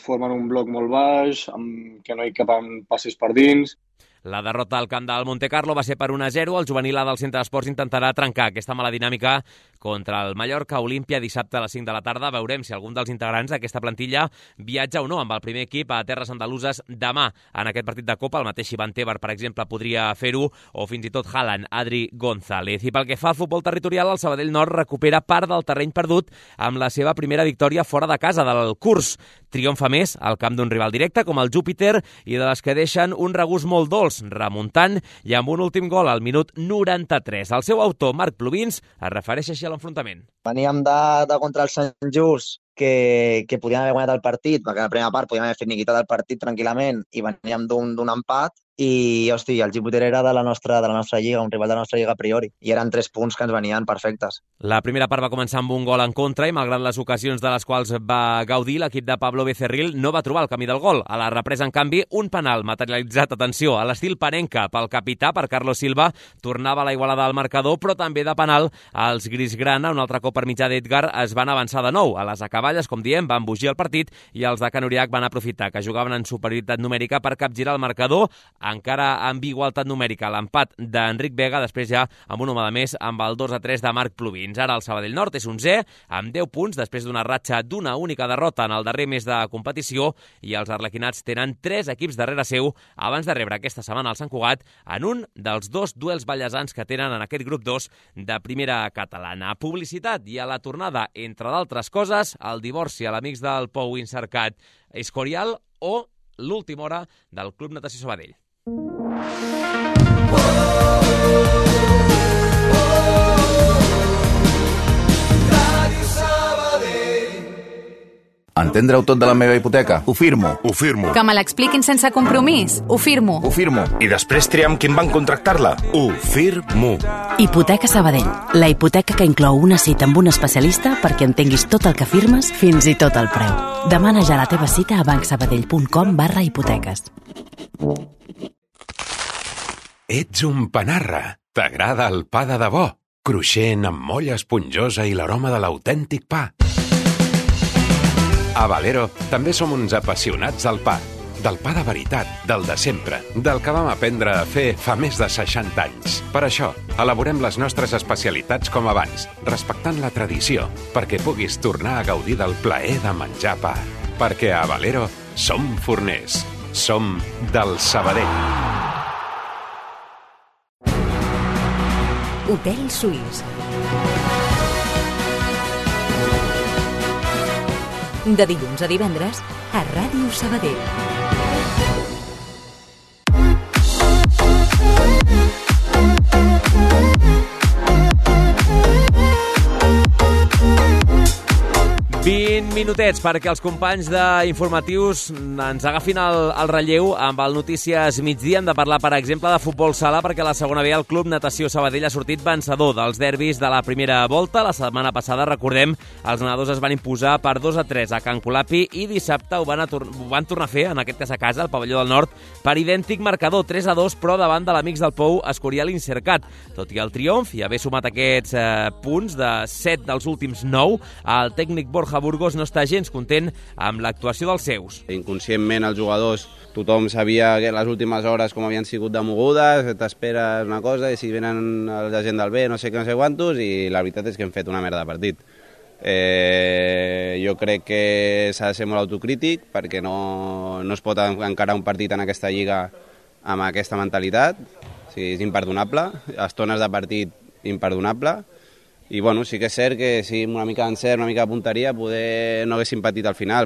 formen un bloc molt baix, amb, que no hi capen passes per dins. La derrota al camp del Montecarlo va ser per un a zero. El juvenil A del Centre d'Esports intentarà trencar aquesta mala dinàmica contra el Mallorca Olímpia dissabte a les cinc de la tarda. Veurem si algun dels integrants d'aquesta plantilla viatja o no amb el primer equip a terres andaluses demà en aquest partit de Copa. El mateix Ivan Tebar, per exemple, podria fer-ho, o fins i tot Haaland, Adri González. I pel que fa al futbol territorial, el Sabadell Nord recupera part del terreny perdut amb la seva primera victòria fora de casa del curs. Triomfa més al camp d'un rival directe com el Júpiter i de les que deixen un regust molt dolç, remuntant i amb un últim gol al minut noranta-tres. El seu autor, Marc Plubins, es refereix així a l'enfrontament. Veníem de, de contra el Sant Just, que, que podíem haver guanyat el partit, perquè a la primera part podíem haver finiquitat el partit tranquil·lament i veníem d'un empat. I, hosti, el Júpiter era de la, nostra, de la nostra lliga, un rival de la nostra lliga a priori, i eren tres punts que ens venien perfectes. La primera part va començar amb un gol en contra i, malgrat les ocasions de les quals va gaudir, l'equip de Pablo Becerril no va trobar el camí del gol. A la represa, en canvi, un penal materialitzat, atenció, a l'estil panenca pel capità, per Carlos Silva, tornava a la igualada al marcador, però també de penal els grisgrana, un altre cop per mitjà d'Edgar, es van avançar de nou. A les acaballes, com diem, van embogir el partit i els de Can Uriach van aprofitar que jugaven en superioritat numèrica per capgirar el marcador, encara amb igualtat numèrica, l'empat d'Enric Vega, després ja amb un home de més amb el dos a tres de Marc Plubins. Ara el Sabadell Nord és onzè amb deu punts després d'una ratxa d'una única derrota en el darrer mes de competició, i els arlequinats tenen tres equips darrere seu abans de rebre aquesta setmana al Sant Cugat en un dels dos duels ballesans que tenen en aquest grup dos de primera catalana. Publicitat i a la tornada, entre d'altres coses, el divorci a l'Amics del Pou Incercat Escorial o l'última hora del Club Natació Sabadell. Entendre-ho tot de la meva hipoteca? Ho firmo. Ho firmo. Que me l'expliquin sense compromís? Ho firmo. Ho firmo. I després triar amb qui em van contractar-la? Ho firmo. Hipoteca Sabadell. La hipoteca que inclou una cita amb un especialista perquè entenguis tot el que firmes, fins i tot el preu. Demana ja la teva cita a bancsabadell.com barra hipoteques. Ets un panarra. T'agrada el pa de debò, cruixent amb molla esponjosa i l'aroma de l'autèntic pa. A Valero també som uns apassionats del pa, del pa de veritat, del de sempre, del que vam aprendre a fer fa més de seixanta anys. Per això, elaborem les nostres especialitats com abans, respectant la tradició, perquè puguis tornar a gaudir del plaer de menjar pa. Perquè a Valero som forners, som del Sabadell. Hotel Suís. De dilluns a divendres a Ràdio Sabadell. vint minutets perquè els companys d'informatius ens agafin el, el relleu amb el Notícies Migdia. Hem de parlar, per exemple, de futbol sala, perquè a la segona B el Club Natació Sabadell ha sortit vencedor dels derbis de la primera volta. La setmana passada, recordem, els nedadors es van imposar per dos a tres a Can Colapi i dissabte ho van, ho van tornar a fer, en aquest cas a casa, al pavelló del Nord, per idèntic marcador, tres a dos, però davant de l'Amics del Pou Escorial Incercat. Tot i el triomf i haver sumat aquests eh, punts de set dels últims nou, el tècnic Borja Burgos no està gens content amb l'actuació dels seus. Inconscientment els jugadors, tothom sabia que les últimes hores com havien sigut de mogudes, t'esperes una cosa i si venen la gent del B no sé què, no sé quantos, i la veritat és que hem fet una merda de partit. Eh, jo crec que s'ha de ser molt autocrític perquè no, no es pot encarar un partit en aquesta lliga amb aquesta mentalitat. O sigui, és imperdonable, estones de partit imperdonable. I bueno, sí que és cert que sí, una mica d'encert, una mica de punteria, poder no haguéssim patit al final.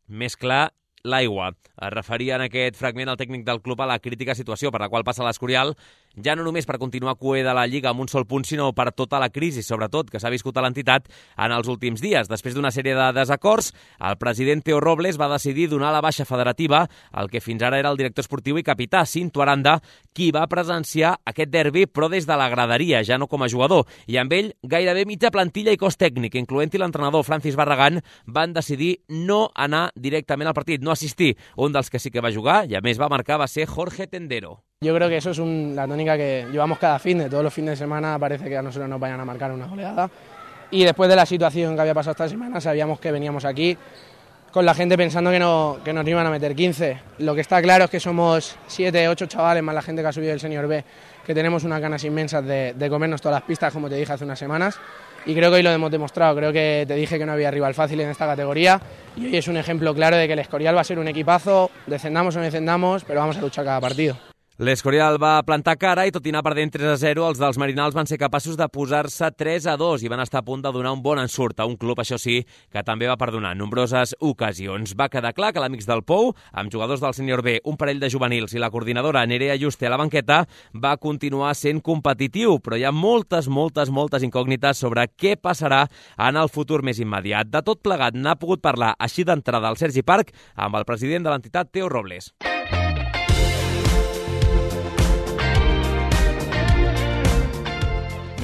Més clar, l'aigua. Es referia en aquest fragment al tècnic del club a la crítica situació per la qual passa l'Escorial, ja no només per continuar cuer de la Lliga amb un sol punt, sinó per tota la crisi, sobretot, que s'ha viscut a l'entitat en els últims dies. Després d'una sèrie de desacords, el president Teo Robles va decidir donar la baixa federativa al que fins ara era el director esportiu i capità, Cinto Aranda, qui va presenciar aquest derbi, però des de la graderia, ja no com a jugador. I amb ell, gairebé mitja plantilla i cos tècnic, incloent-hi l'entrenador Francis Barragán, van decidir no anar directament al partit, no assistir. Un dels que sí que va jugar i a més va marcar va ser Jorge Tendero. Yo creo que eso es un, la tónica que llevamos cada fin de todos los fines de semana, parece que a nosotros nos vayan a marcar una goleada. Y después de la situación que había pasado esta semana, sabíamos que veníamos aquí con la gente pensando que, no, que nos iban a meter quince. Lo que está claro es que somos siete, ocho chavales más la gente que ha subido el Senior B, que tenemos unas ganas inmensas de, de comernos todas las pistas, como te dije hace unas semanas, y creo que hoy lo hemos demostrado. Creo que te dije que no había rival fácil en esta categoría, y hoy es un ejemplo claro de que el Escorial va a ser un equipazo, descendamos o no descendamos, però vamos a luchar cada partido. L'Escorial va plantar cara i, tot i anar perdent tres a zero, els dels Merinals van ser capaços de posar-se tres a dos i van estar a punt de donar un bon ensurt a un club, això sí, que també va perdonar en nombroses ocasions. Va quedar clar que l'Amics del Pou, amb jugadors del Sènior B, un parell de juvenils i la coordinadora Nerea Juste a la banqueta, va continuar sent competitiu, però hi ha moltes, moltes, moltes incògnites sobre què passarà en el futur més immediat. De tot plegat n'ha pogut parlar així d'entrada al Sergi Parc amb el president de l'entitat, Teo Robles.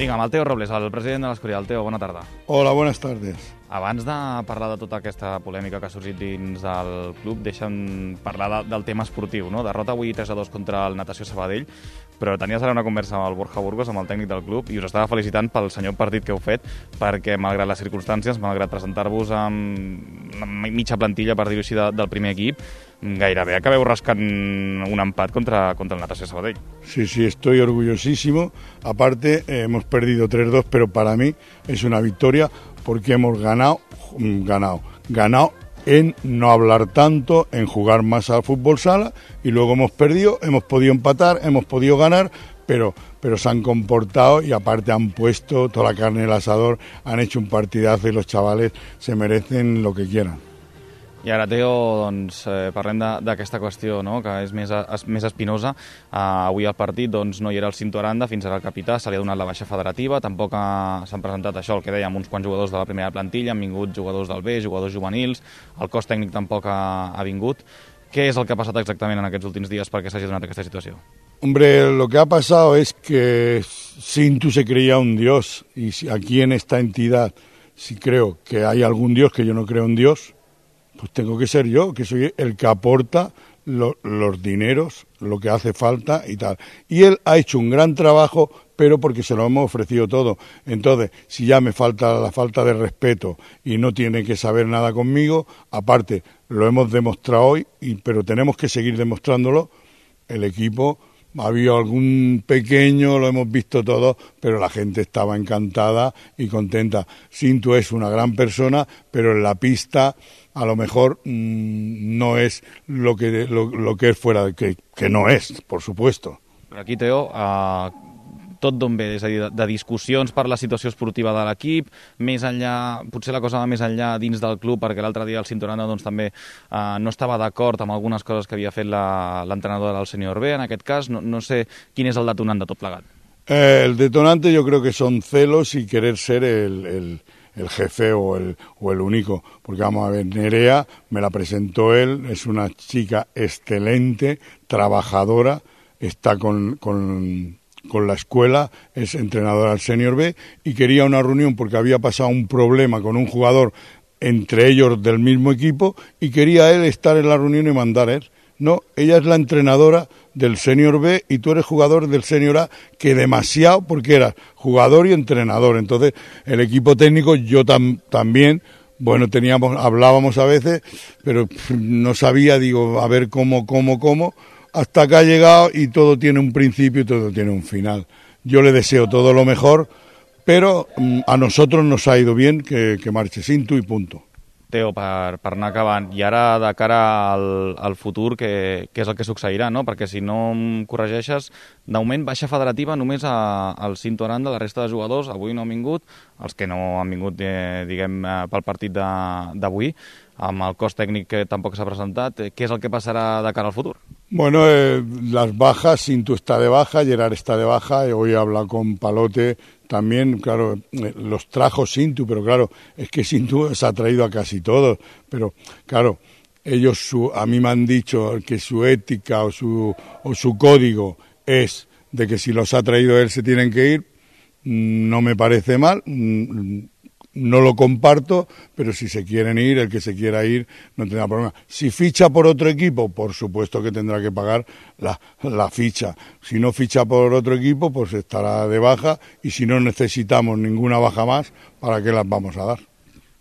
Vinga, amb el Teo Robles, el president de l'Escorial. Teo, bona tarda. Hola, buenas tardes. Abans de parlar de tota aquesta polèmica que ha sorgit dins del club, deixa'm parlar de, del tema esportiu, no? Derrota avui tres a dos contra el Natació Sabadell, però tenies ara una conversa amb el Borja Burgos, amb el tècnic del club, i us estava felicitant pel senyor partit que heu fet, perquè malgrat les circumstàncies, malgrat presentar-vos amb mitja plantilla, per dir-ho així, de, del primer equip, gairebé acabeu rascant un empat contra, contra el Natació Sabadell. Sí, sí, estoy orgullosísimo. Aparte, eh, hemos perdido tres dos, pero para mí es una victoria porque hemos ganado, ganado, ganado en no hablar tanto, en jugar más al fútbol sala, y luego hemos perdido, hemos podido empatar, hemos podido ganar, pero, pero se han comportado y aparte han puesto toda la carne en el asador, han hecho un partidazo y los chavales se merecen lo que quieran. I ara, Teo, doncs, eh, parlem d'aquesta qüestió, no?, que és més, es, més espinosa. Uh, avui al partit doncs, no hi era el Cinto Aranda, fins ara el capità, se li ha donat la baixa federativa, tampoc ha, s'han presentat això, el que dèiem, uns quants jugadors de la primera plantilla, han vingut jugadors del B, jugadors juvenils, el cos tècnic tampoc ha, ha vingut. Què és el que ha passat exactament en aquests últims dies perquè s'hagi donat aquesta situació? Hombre, lo que ha pasado es que Cinto se creía un dios, y si aquí en esta entidad, si creo que hay algún dios, que yo no creo en Dios, pues tengo que ser yo, que soy el que aporta lo, los dineros, lo que hace falta y tal. Y él ha hecho un gran trabajo, pero porque se lo hemos ofrecido todo. Entonces, si ya me falta la falta de respeto y no tiene que saber nada conmigo, aparte, lo hemos demostrado hoy, y, pero tenemos que seguir demostrándolo. El equipo, ha habido algún pequeño, lo hemos visto todos, pero la gente estaba encantada y contenta. Cinto es una gran persona, pero en la pista a lo mejor mmm, no es lo que, lo, lo que es fuera, que, que no es, por supuesto. Però aquí, Teo, uh, tot d'on ve? És a dir, de, de discussions per la situació esportiva de l'equip, més enllà, potser la cosa va més enllà dins del club, perquè l'altre dia el Cintoranda doncs, també uh, no estava d'acord amb algunes coses que havia fet l'entrenador del Sènior B, en aquest cas, no, no sé quin és el detonant de tot plegat. Eh, el detonante yo creo que son celos y querer ser el... el... el jefe o el, o el único, porque vamos a ver, Nerea me la presentó él, es una chica excelente, trabajadora, está con, con, con la escuela, es entrenadora del Senior B, y quería una reunión porque había pasado un problema con un jugador entre ellos del mismo equipo, y quería él estar en la reunión y mandar él. No, ella es la entrenadora del Senior B y tú eres jugador del Senior A, que demasiado, porque eras jugador y entrenador. Entonces, el equipo técnico, yo tam, también, bueno, teníamos, hablábamos a veces, pero no sabía, digo, a ver cómo, cómo, cómo, hasta que ha llegado y todo tiene un principio y todo tiene un final. Yo le deseo todo lo mejor, pero a nosotros nos ha ido bien que, que marche Cinto y punto. Teo, per, per anar acabant, i ara de cara al, al futur, què, què és el que succeirà, no? Perquè si no em corregeixes, d'augment baixa federativa només a, al Cinto Aranda, la resta de jugadors avui no han vingut, els que no han vingut, eh, diguem, eh, pel partit d'avui, amb el cos tècnic que tampoc s'ha presentat, eh, què és el que passarà de cara al futur? Bueno, eh, las bajas, Cinto está de baja, Gerard está de baja, hoy he hablado con Palote también, claro, eh, los trajo Cinto, pero claro, es que Cinto se ha traído a casi todos, pero claro, ellos, su, a mí me han dicho que su ética o su, o su código es de que si los ha traído él se tienen que ir, no me parece mal, no lo comparto, pero si se quieren ir, el que se quiera ir no tendrá problema. Si ficha por otro equipo, por supuesto que tendrá que pagar la, la ficha. Si no ficha por otro equipo, pues estará de baja, y si no necesitamos ninguna baja más, ¿para qué las vamos a dar?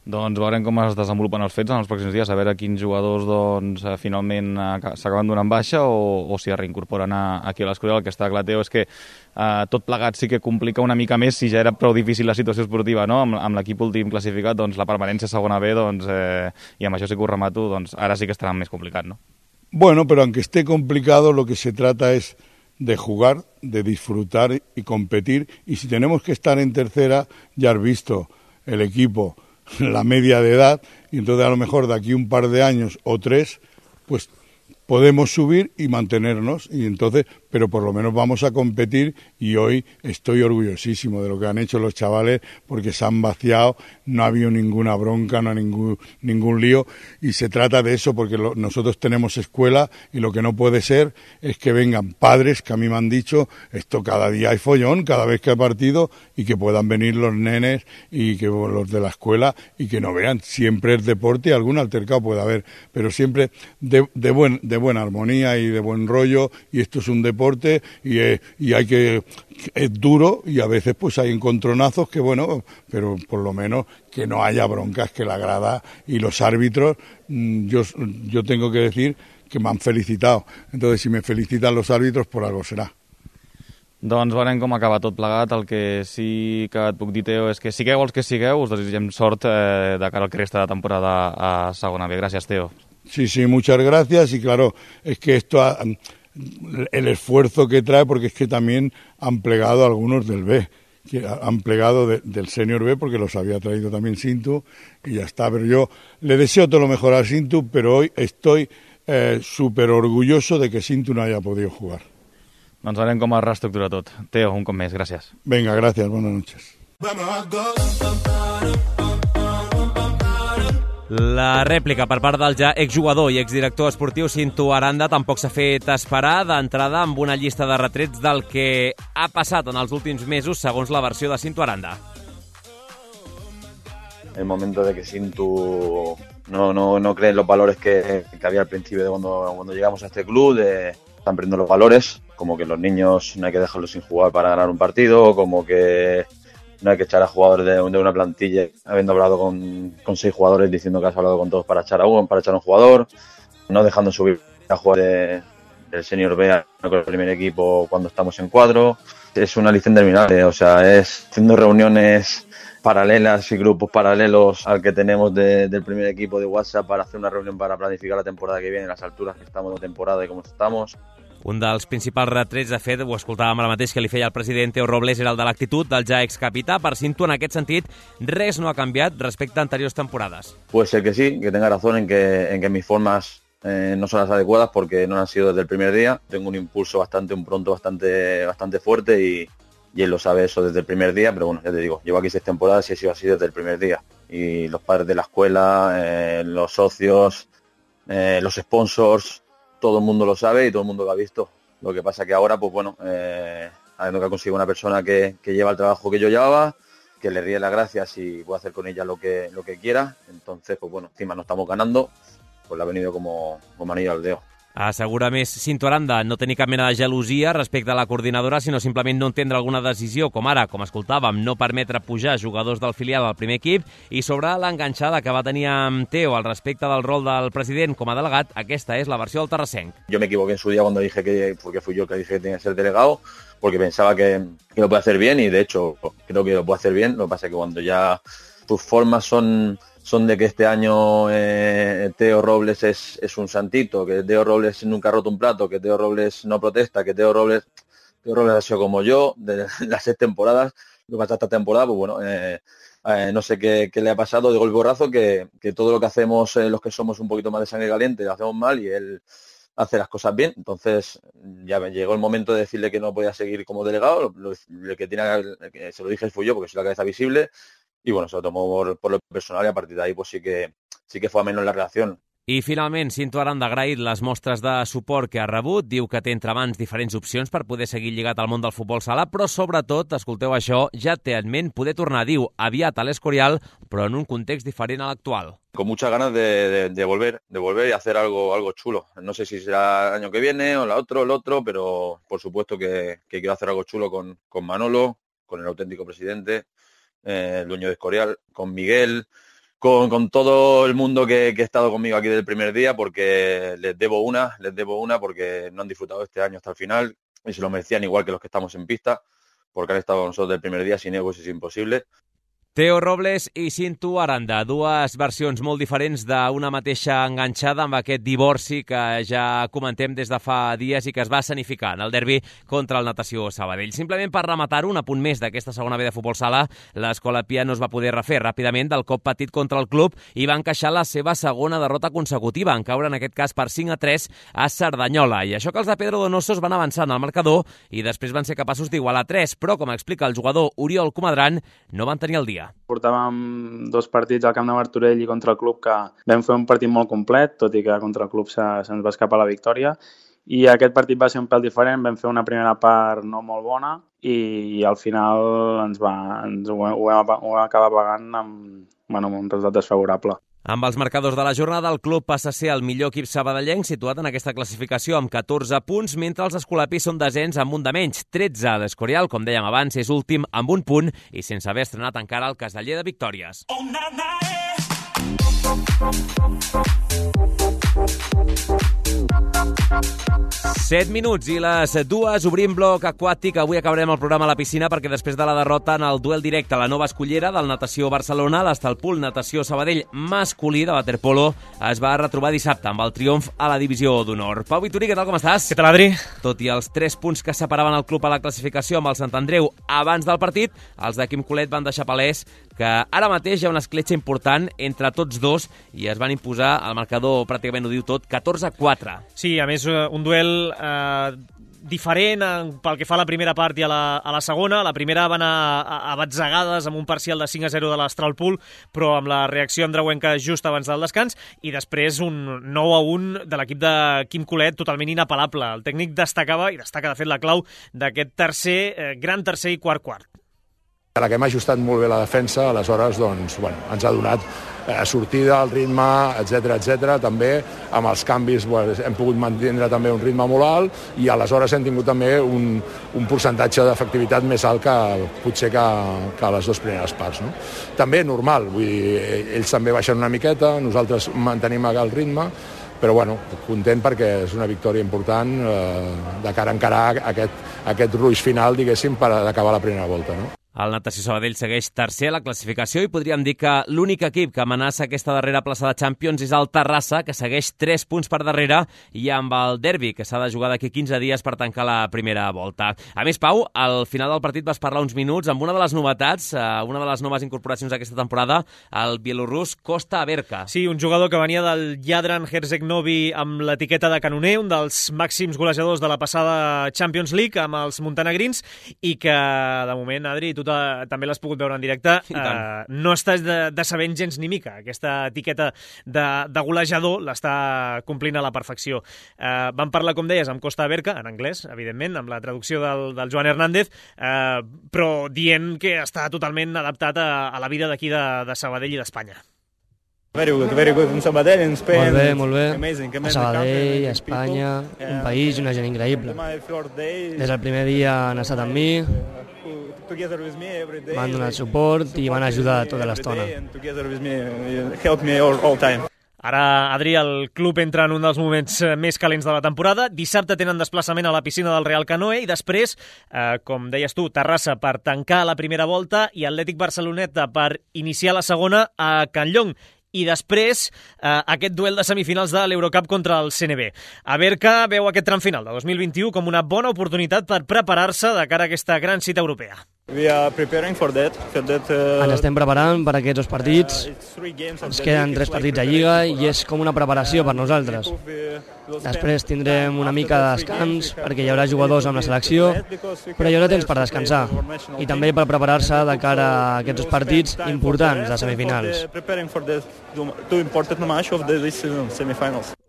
Doncs veurem com es desenvolupen els fets en els pròxims dies, a veure quins jugadors doncs, finalment s'acaben donant baixa o, o si es reincorporen a, aquí a l'Escorial. El que està clar, Teo, és que eh, tot plegat sí que complica una mica més, si ja era prou difícil la situació esportiva, no? amb, amb l'equip últim classificat, doncs la permanència a segona B, doncs, eh, i amb això sí que ho remato, doncs ara sí que estarà més complicat, ¿no? Bueno, pero aunque esté complicado, lo que se trata es de jugar, de disfrutar y competir, y si tenemos que estar en tercera, ya has visto el equipo, la media de edad, y entonces a lo mejor de aquí un par de años o tres, pues podemos subir y mantenernos, y entonces, pero por lo menos vamos a competir, y hoy estoy orgullosísimo de lo que han hecho los chavales, porque se han vaciado, no ha habido ninguna bronca, no hay ningún, ningún lío, y se trata de eso, porque lo, nosotros tenemos escuela, y lo que no puede ser es que vengan padres, que a mí me han dicho, esto cada día hay follón, cada vez que hay partido, y que puedan venir los nenes, y que los de la escuela, y que no vean, siempre es deporte, y algún altercado puede haber, pero siempre de, de, buen, de buena armonía y de buen rollo, y esto es un deporte, y, eh, y hay que, es duro, y a veces pues hay encontronazos que bueno, pero por lo menos que no haya broncas, que la grada y los árbitros, yo, yo tengo que decir que me han felicitado, entonces si me felicitan los árbitros, por algo será. Doncs veurem com acaba tot plegat. El que sí que et puc dir, Teo, és que sigueu els que sigueu, us desitgem sort eh, de cara al que resta de temporada a segona B. Gràcies, Teo. Sí, sí, muchas gracias, y claro, es que esto, ha, el esfuerzo que trae, porque es que también han plegado algunos del B, que han plegado de, del Senior B, porque los había traído también Sintu, y ya está. Pero yo le deseo todo lo mejor a Sintu, pero hoy estoy eh, súper orgulloso de que Sintu no haya podido jugar. Doncs veurem com es reestructura tot. Teo, un cop més, gràcies. Venga, gracias, buenas noches. La rèplica per part del ja exjugador i exdirector esportiu Sintu Aranda tampoc s'ha fet esperar, d'entrada amb una llista de retrets del que ha passat en els últims mesos segons la versió de Sintu Aranda. El momento de que Sintu no, no, no cree en los valores que, que había al principio de cuando, cuando llegamos a este club, de, están perdiendo los valores, como que los niños no hay que dejarlos sin jugar para ganar un partido, como que no hay que echar a jugadores de, de una plantilla, habiendo hablado con, con seis jugadores, diciendo que has hablado con todos para echar a uno, para echar a un jugador, no dejando subir a jugar de, del Senior B con el primer equipo cuando estamos en cuadro. Es una lista interminable, o sea, es haciendo reuniones paralelas y grupos paralelos al que tenemos de, del primer equipo de WhatsApp para hacer una reunión para planificar la temporada que viene, las alturas que estamos de temporada y cómo estamos. Un dels principals retrets, de fet, ho escoltàvem ara mateix que li feia el president Teo Robles, era el de l'actitud del ja excapità. Per Sintu, en aquest sentit, res no ha canviat respecte a anteriors temporades. Puede ser que sí, que tenga razón en que, en que mis formas eh, no son las adecuadas porque no han sido desde el primer día. Tengo un impulso bastante, un pronto bastante, bastante fuerte y, y él lo sabe eso desde el primer día, pero bueno, ya te digo, llevo aquí seis temporadas y he sido así desde el primer día. Y los padres de la escuela, eh, los socios, eh, los sponsors, todo el mundo lo sabe y todo el mundo lo ha visto. Lo que pasa que ahora, pues bueno, eh, habiendo que conseguir una persona que, que lleva el trabajo que yo llevaba, que le ríe las gracias y puedo hacer con ella lo que, lo que quiera, entonces, pues bueno, encima no estamos ganando, pues le ha venido como, como anillo al dedo. Assegura més Sintu Aranda no tenir cap mena de gelosia respecte a la coordinadora, sinó simplement no entendre alguna decisió, com ara, com escoltàvem, no permetre pujar jugadors del filial al primer equip, i sobre l'enganxada que va tenir amb Teo al respecte del rol del president com a delegat, aquesta és la versió del terrassenc. Yo me equivoqué en su día cuando dije que, porque fui yo que dije que tenía que ser delegado, porque pensaba que, que lo puede hacer bien y de hecho creo que lo puede hacer bien, lo que pasa es que cuando ya tus formas son... son de que este año eh, Teo Robles es, es un santito, que Teo Robles nunca ha roto un plato, que Teo Robles no protesta, que Teo Robles, Teo Robles ha sido como yo, de las seis temporadas, lo que pasa esta temporada, pues bueno, eh, eh, no sé qué, qué le ha pasado de golpe borrazo, que, que todo lo que hacemos eh, los que somos un poquito más de sangre caliente lo hacemos mal y él hace las cosas bien. Entonces ya me llegó el momento de decirle que no podía seguir como delegado, lo, lo que tenía, que se lo dije fui yo porque soy la cabeza visible. Y bueno, se lo tomó por, por lo personal y a partir de ahí pues sí que, sí que fue a menos la relación. I finalment, Sintu Aranda ha agraït les mostres de suport que ha rebut, diu que té entre mans diferents opcions per poder seguir lligat al món del futbol sala, però sobretot, escolteu això, ja té en ment poder tornar, diu, aviat a l'Escorial, però en un context diferent a l'actual. Con muchas ganas de, de, de volver, de volver y hacer algo, algo chulo. No sé si será el año que viene o el otro, el otro, pero por supuesto que, que quiero hacer algo chulo con, con Manolo, con el auténtico presidente, Eh, el dueño de Escorial, con Miguel, con, con todo el mundo que, que ha estado conmigo aquí desde el primer día, porque les debo una, les debo una porque no han disfrutado este año hasta el final y se lo merecían igual que los que estamos en pista, porque han estado con nosotros desde el primer día, sin egos es imposible. Teo Robles i Cinto Aranda, dues versions molt diferents d'una mateixa enganxada amb aquest divorci que ja comentem des de fa dies i que es va escenificar en el derbi contra el Natació Sabadell. Simplement per rematar un apunt més d'aquesta segona B de futbol sala, l'Escola Pia no es va poder refer ràpidament del cop patit contra el club i va encaixar la seva segona derrota consecutiva, en caure en aquest cas per cinc a tres a Cerdanyola. I això que els de Pedro Donosos van avançar en el marcador i després van ser capaços d'igualar tres, però com explica el jugador Oriol Comadran, no van tenir el dia. Portàvem dos partits al camp de Martorell i contra el club que vam fer un partit molt complet, tot i que contra el club se, se'ns va escapar la victòria. I aquest partit va ser un pèl diferent, vam fer una primera part no molt bona i, i al final ens va, ens ho, ho, vam, ho vam acabar pagant amb, bueno, amb un resultat desfavorable. Amb els marcadors de la jornada, el club passa a ser el millor equip sabadellenc situat en aquesta classificació amb catorze punts, mentre els escolapis són desens amb un de menys, tretze. L'Escorial, com dèiem abans, és últim amb un punt i sense haver estrenat encara el Casteller de victòries. Oh, na, na, eh. set minuts i les dues, obrim bloc aquàtic. Avui acabarem el programa a la piscina perquè després de la derrota en el duel directe a la nova escollera del Natació Barcelona, l'Estalpul Natació Sabadell masculí de waterpolo es va retrobar dissabte amb el triomf a la divisió d'honor. Pau Vitorí, què tal, com estàs? Què tal, Adri? Tot i els tres punts que separaven el club a la classificació amb el Sant Andreu abans del partit, els de Quim Colet van deixar palès que ara mateix hi ha una escletxa important entre tots dos i es van imposar, el marcador pràcticament ho diu tot, catorze a quatre. Sí, a més, un duel eh, diferent eh, pel que fa a la primera part i a la, a la segona. La primera va anar a, a batzegades amb un parcial de cinc a zero de l'Astralpool, però amb la reacció andreuenca just abans del descans, i després un nou a un de l'equip de Quim Colet totalment inapel·lable. El tècnic destacava, i destaca de fet la clau, d'aquest tercer, eh, gran tercer i quart quart. A la que hem ajustat molt bé la defensa, aleshores doncs, bueno, ens ha donat eh, sortida, el ritme, etcètera, etcètera. També amb els canvis bueno, hem pogut mantenir també un ritme molt alt i aleshores hem tingut també un, un percentatge d'efectivitat més alt que potser que, que a les dues primeres parts. No? També normal, vull dir, ells també baixen una miqueta, nosaltres mantenim el ritme, però bueno, content perquè és una victòria important eh, de cara a encarar aquest, aquest ruix final, diguéssim, per acabar la primera volta. No? El Natació Sabadell segueix tercer a la classificació i podríem dir que l'únic equip que amenaça aquesta darrera plaça de Champions és el Terrassa, que segueix tres punts per darrere i amb el derbi, que s'ha de jugar d'aquí quinze dies per tancar la primera volta. A més, Pau, al final del partit vas parlar uns minuts amb una de les novetats, una de les noves incorporacions d'aquesta temporada, el bielorrus Kosta Averka. Sí, un jugador que venia del Jadran Herceg-Novi amb l'etiqueta de canoner, un dels màxims golejadors de la passada Champions League amb els montenegrins i que, de moment, Adri, tu també l'has pogut veure en directe, eh, no estàs de, de sabent gens ni mica. Aquesta etiqueta de, de golejador l'està complint a la perfecció. Eh, vam parlar, com deies, amb Kosta Averka, en anglès, evidentment, amb la traducció del, del Joan Hernández, eh, però dient que està totalment adaptat a, a la vida d'aquí de, de Sabadell i d'Espanya. Very good, very good. In Sabadell, in Spain. Molt bé, molt bé. Amazing, amazing. A Sabadell, a Espanya, un país i una gent increïble. Des del primer dia han estat amb mi, m'han donat suport i m'han ajudat tota l'estona. Ara, Adri, el club entra en un dels moments més calents de la temporada. Dissabte tenen desplaçament a la piscina del Real Canoe i després, eh, com deies tu, Terrassa per tancar la primera volta i Atlètic Barceloneta per iniciar la segona a Can Llong. I després eh, aquest duel de semifinals de l'Eurocup contra el C N B. Averka veu aquest tram final de dos mil vint-i-u com una bona oportunitat per preparar-se de cara a aquesta gran cita europea. We are preparing for that, for that, uh, Ens estem preparant per aquests dos partits. Ens queden tres partits a Lliga i és com una preparació per nosaltres. Després tindrem una mica de descans perquè hi haurà jugadors amb la selecció, però hi haurà temps per descansar i també per preparar-se de cara a aquests dos partits importants de semifinals.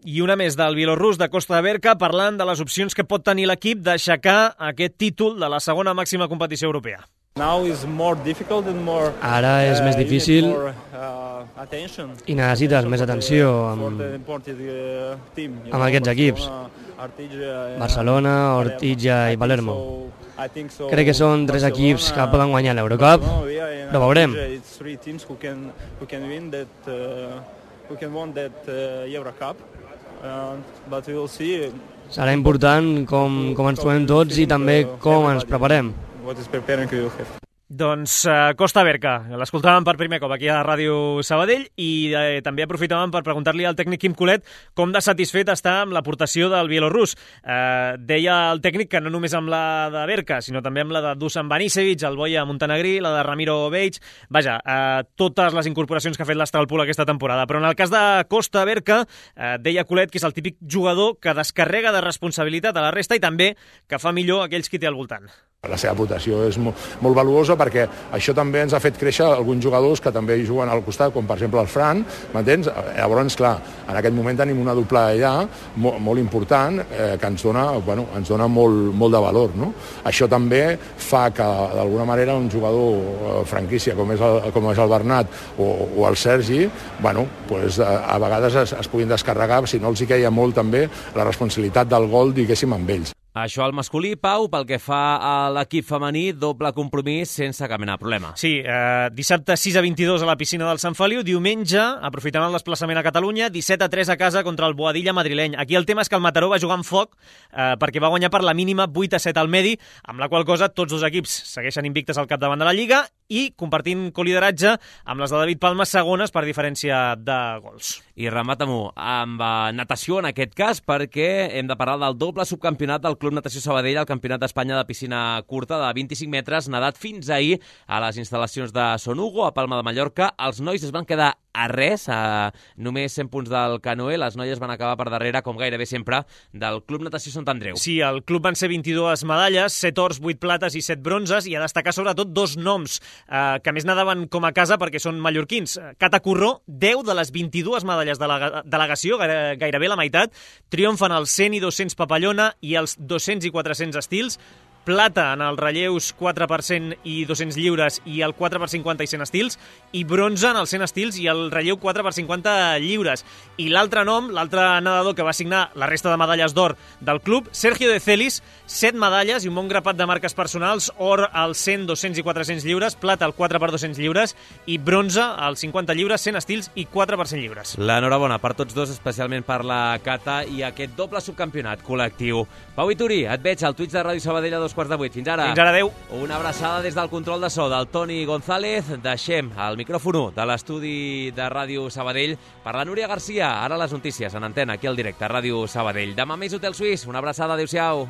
I una més del bielorrus de Kosta Averka parlant de les opcions que pot tenir l'equip d'aixecar aquest títol de la segona màxima competició europea. Ara és més difícil i necessites més atenció amb, amb aquests equips. Barcelona, Ortija i Palermo. Crec que són tres equips que poden guanyar l'Eurocup, però veurem. Serà important com, com ens trobem tots i també com ens preparem. Doncs uh, Costa Berca, l'escoltàvem per primer cop aquí a Ràdio Sabadell i eh, també aprofitàvem per preguntar-li al tècnic Quim Colet com de satisfet està amb l'aportació del bielorrus. Eh, deia el tècnic que no només amb la de Berca, sinó també amb la de Dusan Banisevic, el Boia Montenegrí, la de Ramiro Beig, vaja, eh, totes les incorporacions que ha fet l'Astralpool aquesta temporada. Però en el cas de Costa Berca, eh, deia Colet que és el típic jugador que descarrega de responsabilitat a la resta i també que fa millor aquells qui té al voltant. La seva aportació és molt, molt valuosa perquè això també ens ha fet créixer alguns jugadors que també hi juguen al costat, com per exemple el Fran, m'entens? Llavors, clar, en aquest moment tenim una doble allà molt, molt important eh, que ens dona, bueno, ens dona molt, molt de valor, no? Això també fa que, d'alguna manera, un jugador franquícia com és el, com és el Bernat o, o el Sergi, bueno, pues, a, a vegades es, es puguin descarregar, si no els hi queia molt també la responsabilitat del gol, diguéssim, amb ells. Això al masculí, Pau, pel que fa a l'equip femení, doble compromís sense cap mena de problema. Sí, eh, dissabte sis a vint-i-dos a la piscina del Sant Feliu, diumenge, aprofitant el desplaçament a Catalunya, disset a tres a casa contra el Boadilla madrileny. Aquí el tema és que el Mataró va jugar amb foc eh, perquè va guanyar per la mínima vuit a set al Medi, amb la qual cosa tots dos equips segueixen invictes al capdavant de la Lliga i compartint colideratge amb les de David Palma, segones per diferència de gols. I remata-m'ho amb uh, natació en aquest cas, perquè hem de parlar del doble subcampionat del Club Natació Sabadell, el Campionat d'Espanya de piscina curta de vint-i-cinc metres, nadat fins ahir a les instal·lacions de Son Hugo, a Palma de Mallorca. Els nois es van quedar a res, a només cent punts del canoe. Les noies van acabar per darrere, com gairebé sempre, del Club Natació Sant Andreu. Sí, el club van ser vint-i-dues medalles, set ors, vuit plates i set bronzes, i a destacar sobretot dos noms eh, que més nadaven com a casa perquè són mallorquins. Cata Corró, deu de les vint-i-dues medalles de la delegació, gairebé la meitat, triomfen els cent i dos-cents papallona i els dos-cents i quatre-cents estils, plata en els relleus quatre per cent i dos-cents lliures i el quatre per cinquanta i cent estils, i bronze en els cent estils i el relleu quatre per cinquanta lliures. I l'altre nom, l'altre nedador que va signar la resta de medalles d'or del club, Sergio de Celis, set medalles i un bon grapat de marques personals, or als cent, dos-cents i quatre-cents lliures, plata al quatre per dos-cents lliures i bronze als cinquanta lliures, cent estils i quatre per cent lliures. L'enhorabona per tots dos, especialment per la Cata i aquest doble subcampionat col·lectiu. Pau Ituri, et veig al Twitch de Ràdio Sabadell a dos quarts de vuit. Fins ara. Fins ara, adeu. Una abraçada des del control de so del Toni González. Deixem el micròfon de l'estudi de Ràdio Sabadell per la Núria Garcia. Ara les notícies en antena, aquí al directe, a Ràdio Sabadell. Demà més Hotel Suís. Una abraçada, adéu-siau.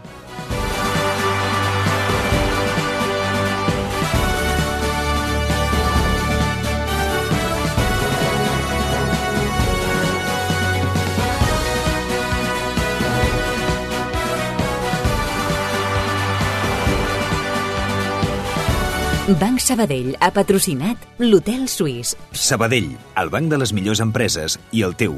Banc Sabadell ha patrocinat l'Hotel Suís. Sabadell, el banc de les millors empreses i el teu.